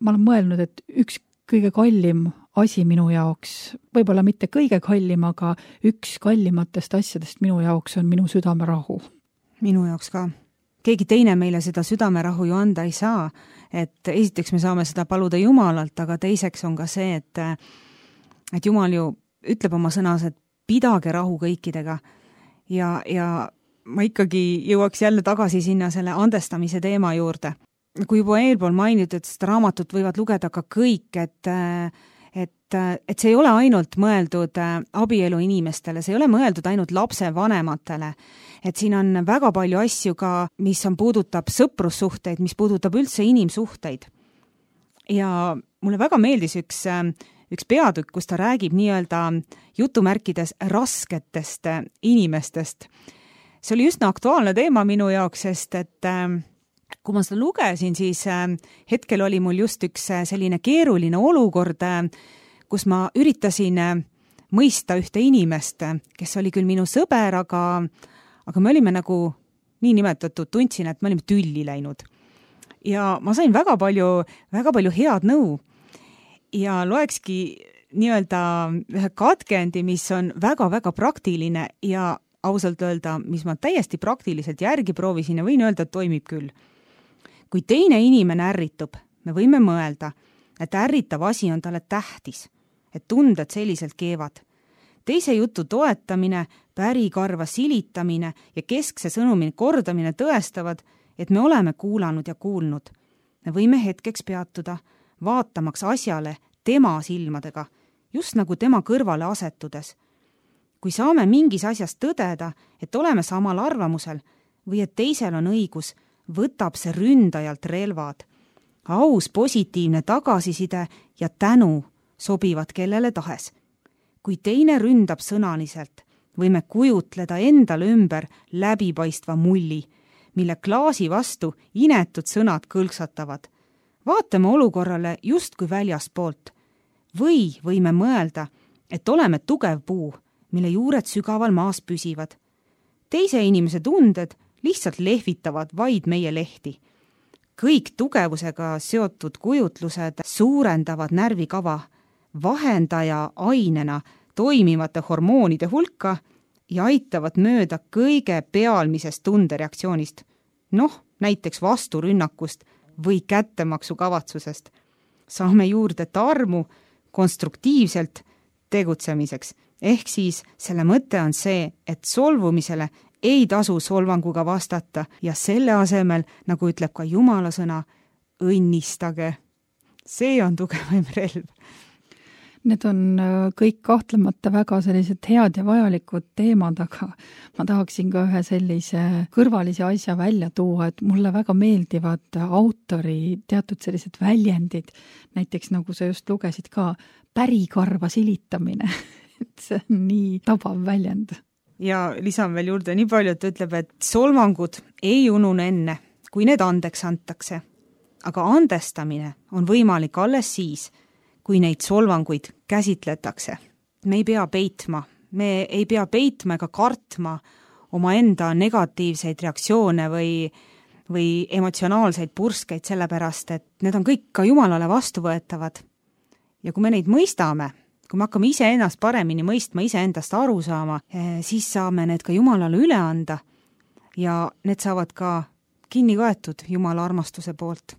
Ma olen mõelnud, et üks kõige kallim asi minu jaoks, võib-olla mitte kõige kallim, aga üks kallimatest asjadest minu jaoks on minu südamerahu. Minu jaoks ka. Keegi teine meile seda südamerahu ju anda ei saa, et esiteks me saame seda paluda Jumalalt, aga teiseks on ka see, et, et Jumal ju ütleb oma sõnas, et pidage rahu kõikidega ja, ja ma ikkagi jõuaks jälle tagasi sinna selle andestamise teema juurde. Kui juba eelpool mainitud, et seda raamatut võivad lugeda ka kõik, et, et, et see ei ole ainult mõeldud abielu inimestele, see ei ole mõeldud ainult lapsevanematele, et siin on väga palju asju ka, mis on puudutab sõprussuhteid, mis puudutab üldse inimsuhteid. Ja mulle väga meeldis üks, üks peatükk, kus ta räägib nii-öelda jutumärkides rasketest inimestest. See oli üsna aktuaalne teema minu jaoks, sest et kui ma seda lugesin, siis hetkel oli mul just üks selline keeruline olukord, kus ma üritasin mõista ühte inimest, kes oli küll minu sõber, aga aga me olime nagu nii nimetatud, tundsin, et me olime tülli läinud. Ja ma sain väga palju, väga palju head nõu ja loekski nii-öelda ühe katkendi, mis on väga-väga praktiline ja ausalt öelda, mis ma täiesti praktiliselt järgi proovisin ja võin öelda, et toimib küll. Kui teine inimene ärritub, me võime mõelda, et ärritav asi on talle tähtis, et tunded selliselt keevad. Teise jutu toetamine, pärikarva silitamine ja keskse sõnumi kordamine tõestavad, et me oleme kuulanud ja kuulnud. Me võime hetkeks peatuda, vaatamaks asjale tema silmadega, just nagu tema kõrvale asetudes. Kui saame mingis asjas tõdeda, et oleme samal arvamusel või et teisel on õigus, võtab see ründajalt relvad. Aus positiivne tagasiside ja tänu sobivad kellele tahes. Kui teine ründab sõnaliselt, võime kujutleda endale ümber läbipaistva mulli, mille klaasi vastu inetud sõnad kõlksatavad. Vaatame olukorrale justkui väljaspoolt. Või võime mõelda, et oleme tugev puu, mille juured sügaval maas püsivad. Teise inimese tunded lihtsalt lehvitavad vaid meie lehti. Kõik tugevusega seotud kujutlused suurendavad närvikava, vahendaja ainena toimivate hormoonide hulka ja aitavad mööda kõige pealmisest tundereaktsioonist, noh, näiteks vasturünnakust või kättemaksu kavatsusest. Saame juurde tarmu konstruktiivselt tegutsemiseks, ehk siis selle mõte on see, et solvumisele ei tasu solvanguga vastata ja selle asemel, nagu ütleb ka Jumala sõna, õnnistage. See on tugevaim relv. Need on kõik kahtlemata väga sellised head ja vajalikud teemad, aga ma tahaksin ka ühe sellise kõrvalise asja välja tuua, et mulle väga meeldivad autori teatud sellised väljendid, näiteks nagu sa just lugesid ka, pärikarva silitamine, et see on nii tabav väljend. Ja lisan veel juurde nii palju, et ütleb, et solvangud ei unune enne, kui need andeks antakse. Aga andestamine on võimalik alles siis, kui neid solvanguid käsitletakse. Me ei pea peitma, me ei pea peitma ega kartma oma enda negatiivseid reaktsioone või, või emotsionaalseid purskeid, sellepärast, et need on kõik ka Jumalale vastuvõetavad. Ja kui me neid mõistame, kui me hakkame ise ennast paremini mõistma, ise endast aru saama, siis saame need ka Jumalale üle anda ja need saavad ka kinni kaetud Jumala armastuse poolt.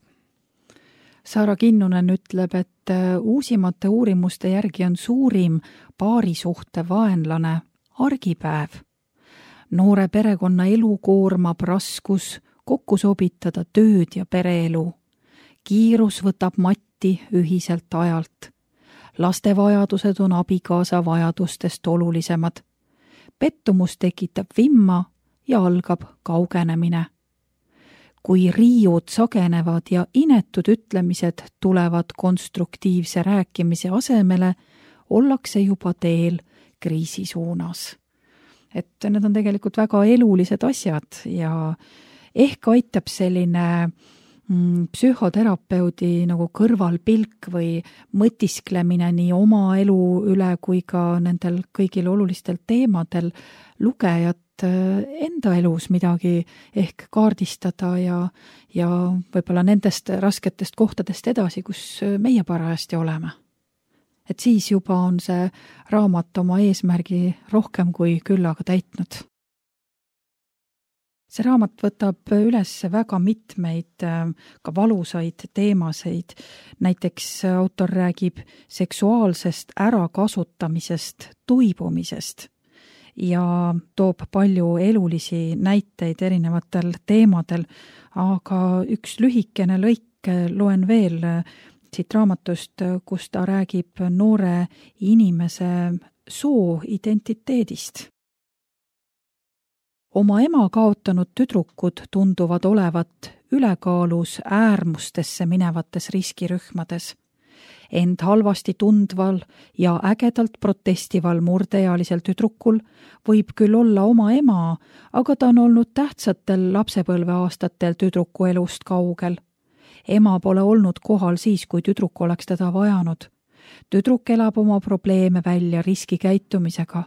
Saara Kinnunen ütleb, et uusimate uurimuste järgi on suurim paarisuhte vaenlane argipäev. Noore perekonna elu koormab raskus kokku sobitada tööd ja pereelu. Kiirus võtab matti ühiselt ajalt. Laste vajadused on abikaasa vajadustest olulisemad. Pettumus tekitab vimma ja algab kaugenemine. Kui riiud sagenevad ja inetud ütlemised tulevad konstruktiivse rääkimise asemele, ollakse juba teel kriisi suunas. Et need on tegelikult väga elulised asjad ja ehk aitab selline mm, psühhoterapeudi nagu kõrvalpilk või mõtisklemine nii oma elu üle kui ka nendel kõigil olulistel teemadel lugejat enda elus midagi ehk kaardistada ja, ja võib-olla nendest rasketest kohtadest edasi, kus meie parajasti oleme. Et siis juba on see raamat oma eesmärgi rohkem kui küllaga täitnud. See raamat võtab üles väga mitmeid ka valusaid teemaseid. Näiteks autor räägib seksuaalsest ärakasutamisest, tuibumisest ja toob palju elulisi näiteid erinevatel teemadel, aga üks lühikene lõik loen veel siit raamatust, kus ta räägib noore inimese soo identiteedist. Oma ema kaotanud tüdrukud tunduvad olevat ülekaalus äärmustesse minevates riskirühmades. End halvasti tundval ja ägedalt protestival murdeealisel tüdrukul võib küll olla oma ema, aga ta on olnud tähtsatel lapsepõlveaastatel tüdruku elust kaugel. Ema pole olnud kohal siis, kui tüdruk oleks teda vajanud. Tüdruk elab oma probleeme välja riskikäitumisega.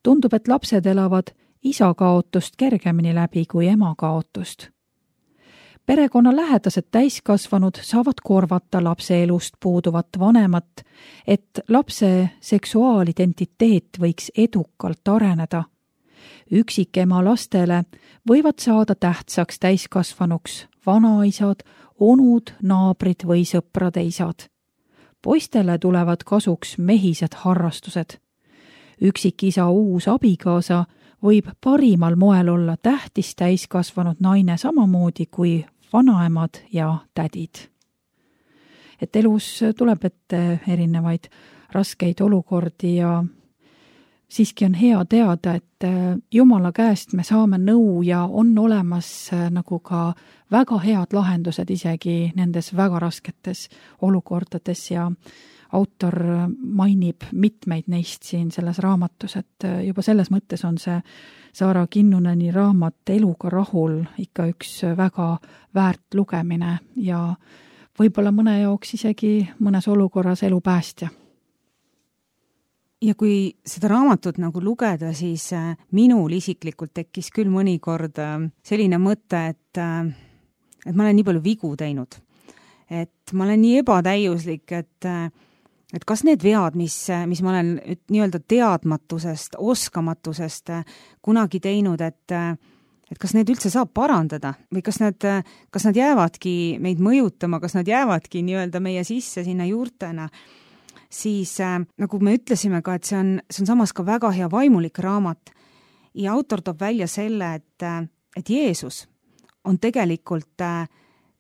Tundub, et lapsed elavad isa kaotust kergemini läbi kui ema kaotust. Perekonna lähedased täiskasvanud saavad korvata lapse elust puuduvat vanemat, et lapse seksuaalidentiteet võiks edukalt areneda. Üksikema lastele võivad saada tähtsaks täiskasvanuks vanaisad, onud, naabrid või sõprade isad. Poistele tulevad kasuks mehised harrastused. Üksikisa uus abikaasa võib parimal moel olla tähtis täiskasvanud naine samamoodi kui vanaemad ja tädid. Et elus tuleb ette erinevaid raskeid olukordi ja siiski on hea teada, et Jumala käest me saame nõu ja on olemas nagu ka väga head lahendused isegi nendes väga rasketes olukordades ja autor mainib mitmeid neist siin selles raamatus, et juba selles mõttes on see Saara Kinnuneni raamat Eluga rahul ikka üks väga väärt lugemine ja võib-olla mõne jaoks isegi mõnes olukorras elu päästja. Ja kui seda raamatut nagu lugeda, siis minul isiklikult tekkis küll mõnikord selline mõte, et, et ma olen nii palju vigu teinud. Et ma olen nii ebatäiuslik, et, et kas need vead, mis, mis ma olen nii-öelda teadmatusest, oskamatusest kunagi teinud, et, et kas need üldse saab parandada või kas nad, kas nad jäävadki meid mõjutama, kas nad jäävadki nii-öelda meie sisse sinna juurtena, siis äh, nagu me ütlesime ka, et see on, see on samas ka väga hea vaimulik raamat ja autor toob välja selle, et, et Jeesus on tegelikult äh,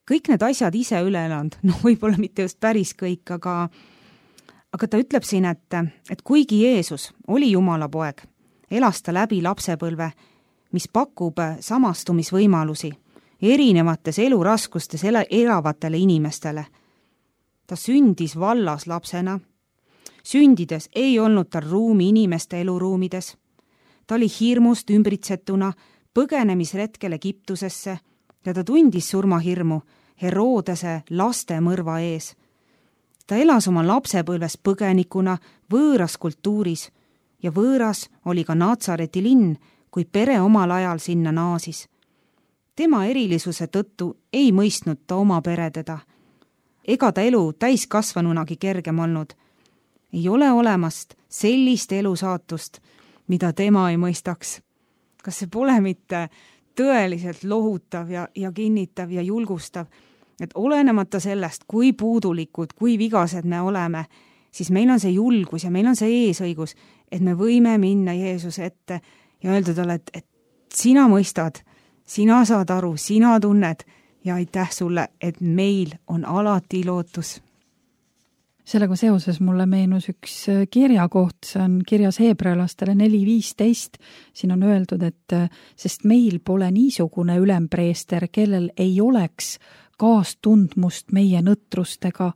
kõik need asjad ise üle elanud, noh võib-olla mitte just päris kõik, aga, aga ta ütleb siin, et, et kuigi Jeesus oli Jumala poeg, elas ta läbi lapsepõlve, mis pakub samastumisvõimalusi erinevates eluraskustes elavatele inimestele. Ta sündis vallas lapsena, sündides ei olnud tal ruumi inimeste eluruumides. Ta oli hirmust ümbritsetuna põgenemisretkel Egiptusesse ja ta tundis surmahirmu Herodese laste mõrva ees. Ta elas oma lapsepõlves põgenikuna võõras kultuuris ja võõras oli ka Natsareti linn, kui pere omal ajal sinna naasis. Tema erilisuse tõttu ei mõistnud ta oma pere teda. Ega ta elu täiskasvanunagi kergem olnud. Ei ole olemast sellist elusaatust, mida tema ei mõistaks. Kas see pole mitte tõeliselt lohutav ja, ja kinnitav ja julgustav, et olenemata sellest, kui puudulikud, kui vigased me oleme, siis meil on see julgus ja meil on see eesõigus, et me võime minna Jeesuse ette ja öelda talle, et, et sina mõistad, sina saad aru, sina tunned ja aitäh sulle, et meil on alati lootus. Sellega seoses mulle meenus üks kirjakoht, see on kirjas heebrealastele neli viisteist. Siin on öeldud, et sest meil pole niisugune ülempreester, kellel ei oleks kaastundmust meie nõtrustega,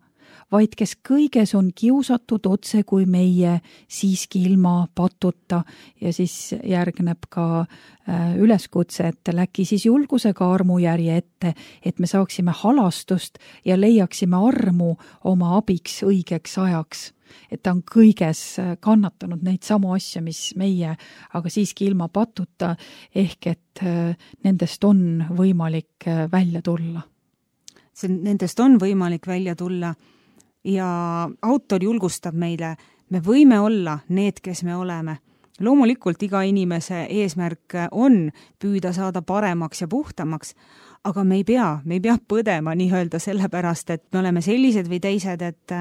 vaid kes kõiges on kiusatud otse kui meie, siiski ilma patuta. Ja siis järgneb ka üleskutse, et läki siis julgusega armujärje ette, et me saaksime halastust ja leiaksime armu oma abiks õigeks ajaks. Et ta on kõiges kannatanud neid samu asju, mis meie, aga siiski ilma patuta, ehk et nendest on võimalik välja tulla. See, nendest on võimalik välja tulla. Ja autor julgustab meile, me võime olla need, kes me oleme. Loomulikult iga inimese eesmärk on püüda saada paremaks ja puhtamaks, aga me ei pea, me ei pea põdema nii-öelda sellepärast, et me oleme sellised või teised, et,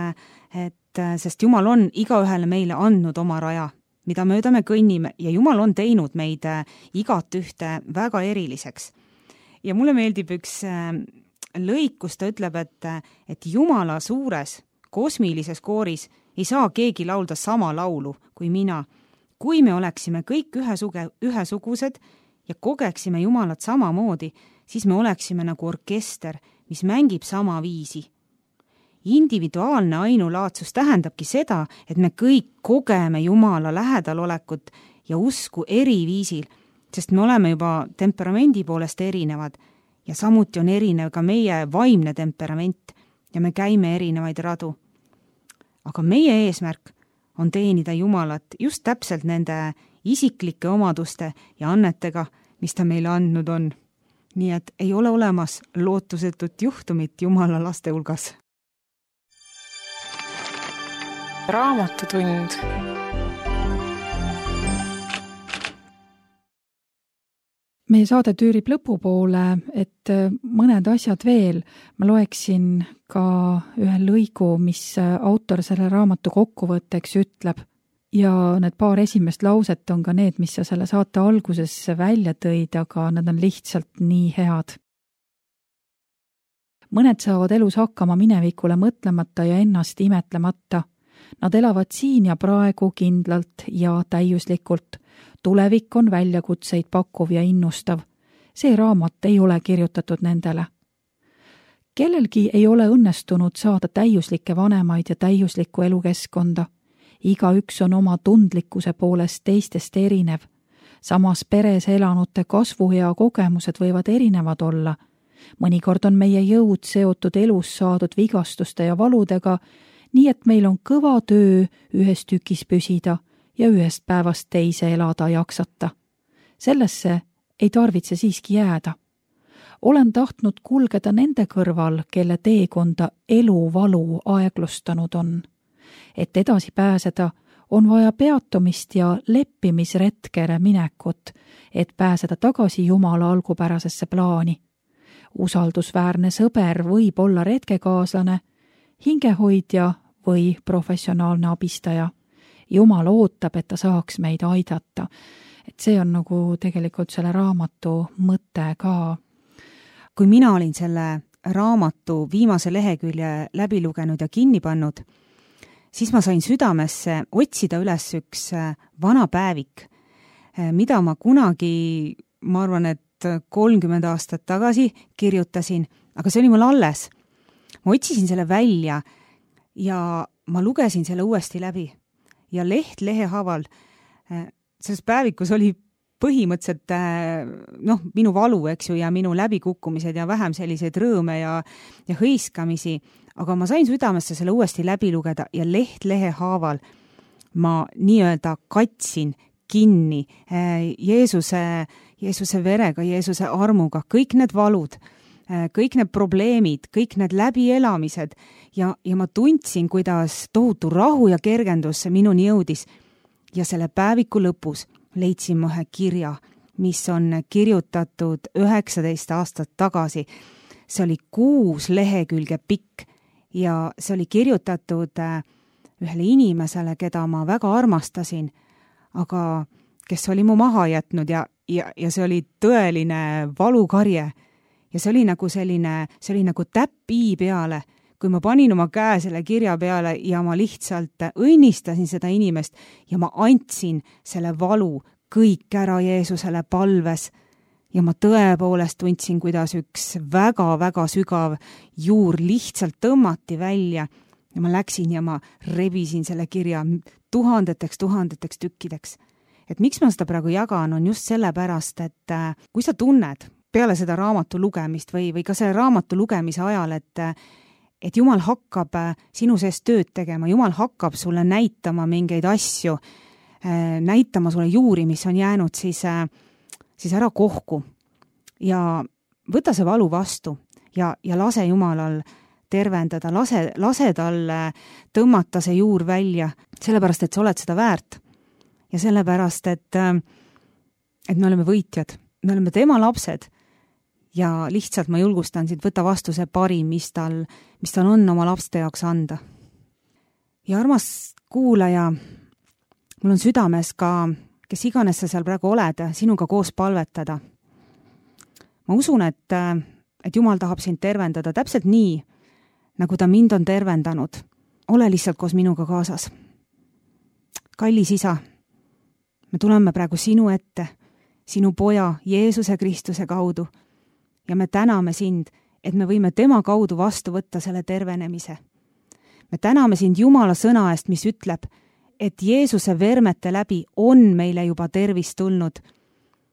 et sest Jumal on igaühele meile andnud oma raja, mida mööda me kõnnime ja Jumal on teinud meid igat ühte väga eriliseks. Ja mulle meeldib üks lõik, kus ta ütleb, et, et Jumala suures kosmilises kooris ei saa keegi laulda sama laulu kui mina. Kui me oleksime kõik ühesuge, ühesugused ja kogeksime Jumalat samamoodi, siis me oleksime nagu orkester, mis mängib sama viisi. Individuaalne ainulaadsus tähendabki seda, et me kõik kogeme Jumala lähedalolekut ja usku eri viisil, sest me oleme juba temperamendi poolest erinevad ja samuti on erinev ka meie vaimne temperament ja me käime erinevaid radu. Aga meie eesmärk on teenida Jumalat just täpselt nende isiklike omaduste ja annetega, mis ta meile andnud on. Nii et ei ole olemas lootusetut juhtumit Jumala laste hulgas. Raamatutund. meie saade tüürib lõpupoole, et mõned asjad veel. Ma loeksin ka ühe lõigu, mis autor selle raamatu kokkuvõtteks ütleb. Ja need paar esimest lauset on ka need, mis sa selle saate alguses välja tõid, aga nad on lihtsalt nii head. Mõned saavad elus hakkama minevikule mõtlemata ja ennast imetlemata. Nad elavad siin ja praegu kindlalt ja täiuslikult. Tulevik on väljakutseid pakkuv ja innustav. See raamat ei ole kirjutatud nendele. Kellelgi ei ole õnnestunud saada täiuslikke vanemaid ja täiuslikku elukeskkonda. Igaüks on oma tundlikkuse poolest teistest erinev. Samas peres elanute kasvuhea kogemused võivad erinevad olla. Mõnikord on meie jõud seotud elus saadud vigastuste ja valudega, nii et meil on kõva töö ühes tükis püsida ja ühest päevast teise elada jaksata. Sellesse ei tarvitse siiski jääda. Olen tahtnud kulgeda nende kõrval, kelle teekonda elu valu aeglustanud on. Et edasi pääseda, on vaja peatumist ja leppimisretkele minekut, et pääseda tagasi Jumala algupärasesse plaani. Usaldusväärne sõber võib olla retkekaaslane, hingehoidja või professionaalne abistaja. Jumal ootab, et ta saaks meid aidata. Et see on nagu tegelikult selle raamatu mõte ka. Kui mina olin selle raamatu viimase lehekülje läbi lugenud ja kinni pannud, siis ma sain südamesse otsida üles üks vana päevik, mida ma kunagi, ma arvan, et kolmkümmend aastat tagasi kirjutasin, aga see oli mul alles. Ma otsisin selle välja ja ma lugesin selle uuesti läbi. Ja leht lehe haaval, selles päevikus oli põhimõtteliselt noh, minu valu, eks ju, ja minu läbikukkumised ja vähem selliseid rõõme ja, ja hõiskamisi, aga ma sain südamesse selle uuesti läbi lugeda ja leht lehe haaval ma nii-öelda katsin kinni Jeesuse, Jeesuse verega, Jeesuse armuga, kõik need valud, kõik need probleemid, kõik need läbielamised ja, ja ma tundsin, kuidas tohutu rahu ja kergendus minuni jõudis. Ja selle päeviku lõpus leidsin ma ühe kirja, mis on kirjutatud üheksateist aastat tagasi. See oli kuus lehekülge pikk ja see oli kirjutatud ühele inimesele, keda ma väga armastasin, aga kes oli mu maha jätnud ja, ja, ja see oli tõeline valukarje. Ja see oli nagu selline, see oli nagu täpp i peale, kui ma panin oma käe selle kirja peale ja ma lihtsalt õnnistasin seda inimest ja ma andsin selle valu kõik ära Jeesusele palves. Ja ma tõepoolest tundsin, kuidas üks väga-väga sügav juur lihtsalt tõmmati välja ja ma läksin ja ma rebisin selle kirja tuhandeteks, tuhandeteks tükkideks. Et miks ma seda praegu jagan, on just sellepärast, et kui sa tunned peale seda raamatu lugemist või, või ka selle raamatu lugemise ajal, et, et Jumal hakkab sinu sees tööd tegema, Jumal hakkab sulle näitama mingeid asju, näitama sulle juuri, mis on jäänud, siis, siis ära kohku ja võta see valu vastu ja, ja lase Jumalal tervendada, lase, lase tal tõmmata see juur välja, sellepärast, et sa oled seda väärt ja sellepärast, et, et me oleme võitjad, me oleme tema lapsed. Ja lihtsalt ma julgustan sind, võtta vastu see parim, mis tal, mis tal on oma lapste jaoks anda. Ja armas kuulaja, mul on südames ka, kes iganes sa seal praegu oled, sinuga koos palvetada. Ma usun, et, et Jumal tahab sind tervendada täpselt nii, nagu ta mind on tervendanud. Ole lihtsalt koos minuga kaasas. Kallis isa, me tuleme praegu sinu ette, sinu poja Jeesuse Kristuse kaudu. Ja me täname sind, et me võime tema kaudu vastu võtta selle tervenemise. Me täname sind Jumala sõna eest, mis ütleb, et Jeesuse vermete läbi on meile juba tervis tulnud.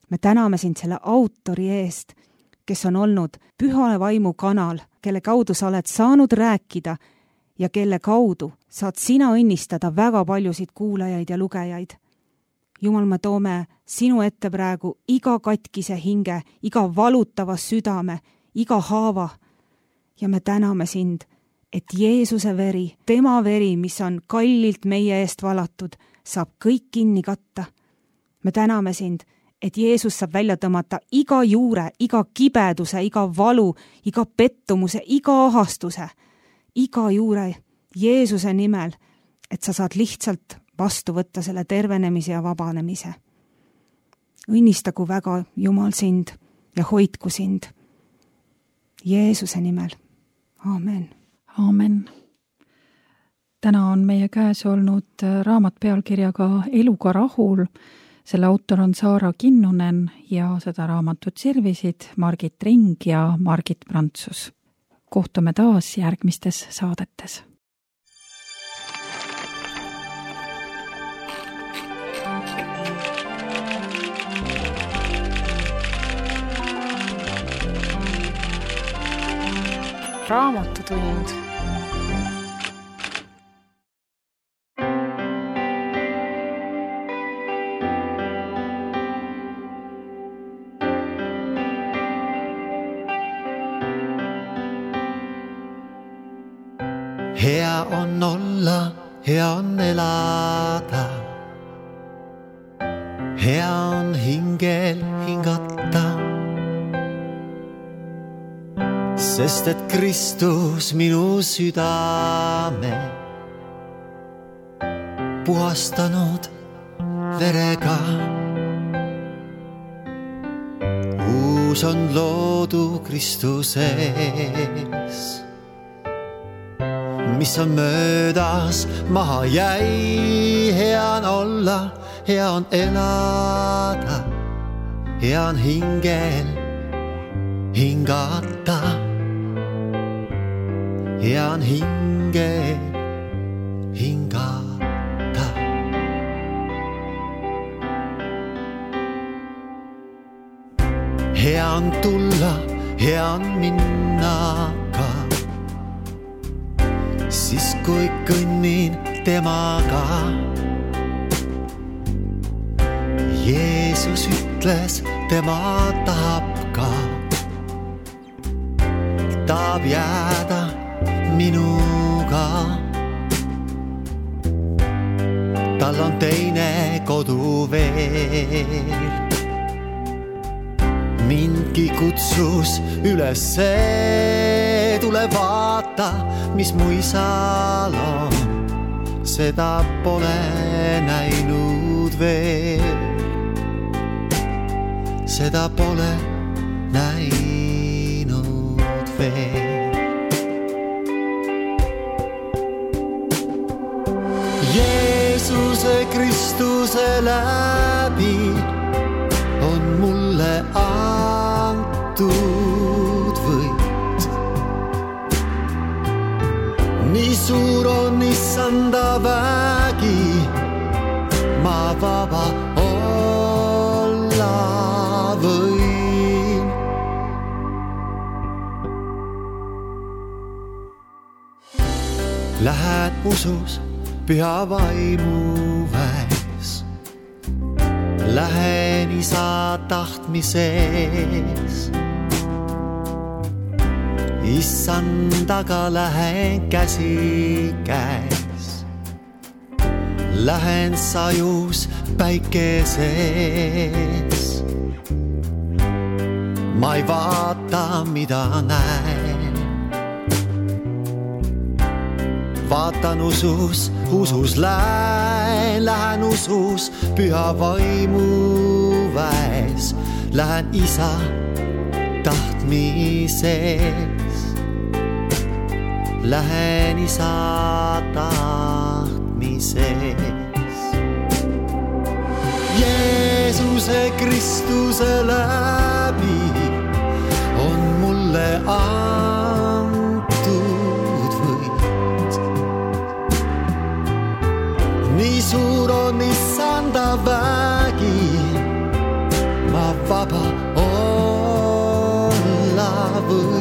Me täname sind selle autori eest, kes on olnud püha vaimu kanal, kelle kaudu sa oled saanud rääkida ja kelle kaudu saad sina õnnistada väga paljusid kuulajaid ja lugejaid. Jumal, me toome sinu ette praegu iga katkise hinge, iga valutava südame, iga haava. Ja me täname sind, et Jeesuse veri, tema veri, mis on kallilt meie eest valatud, saab kõik kinni katta. Me täname sind, et Jeesus saab välja tõmmata iga juure, iga kibeduse, iga valu, iga pettumuse, iga ahastuse, iga juure Jeesuse nimel, et sa saad lihtsalt vastu võtta selle tervenemise ja vabanemise. Õnnistagu väga Jumal sind ja hoidku sind Jeesuse nimel. Aamen. Aamen. Täna on meie käes olnud raamat pealkirjaga Eluga rahul. Selle autor on Saara Kinnunen ja seda raamatut sirvisid Margit Ring ja Margit Prantsus. Kohtume taas järgmistes saadetes. Raamatutund. Hea on olla, hea on elada. Hea on hingel hingata. Sest et Kristus minu südame puhastanud verega. Uus on loodu Kristuses, mis on möödas maha jäi. Hea on olla, hea on elada, hea on hingel hingata. Hea on hingel hingata. Hea on tulla, hea on minna ka, siis kui kõnnin temaga. Jeesus ütles, tema tahab ka, tahab jääda minuga. Tal on teine kodu veel. Mindki kutsus ülesse, tule vaata, mis mu isal on. Seda pole näinud veel. Seda pole näinud veel. Jeesuse Kristuse läbi on mulle antud võit. Nii suur on issanda vägi, ma vaba olla võin. Lähed usus püha vaimu väes, lähen isa tahtmises. Issandaga lähen käsi käes, lähen sajus päikeses. Ma ei vaata, mida näen, vaatan usus, usus lähen, lähen usus püha vaimu väes, lähen isa tahtmises, lähen isa tahtmises. Jeesuse Kristuse läbi on mulle antud võit. Nii suur on issanda vägi, ma vaba olla võin.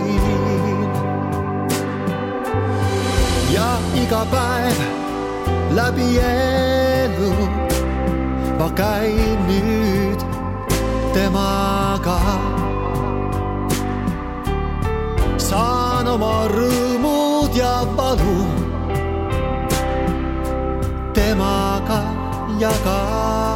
Ja iga päev läbi elu ma käin nüüd temaga. Saan oma rõõmud ja valu temaga jagada.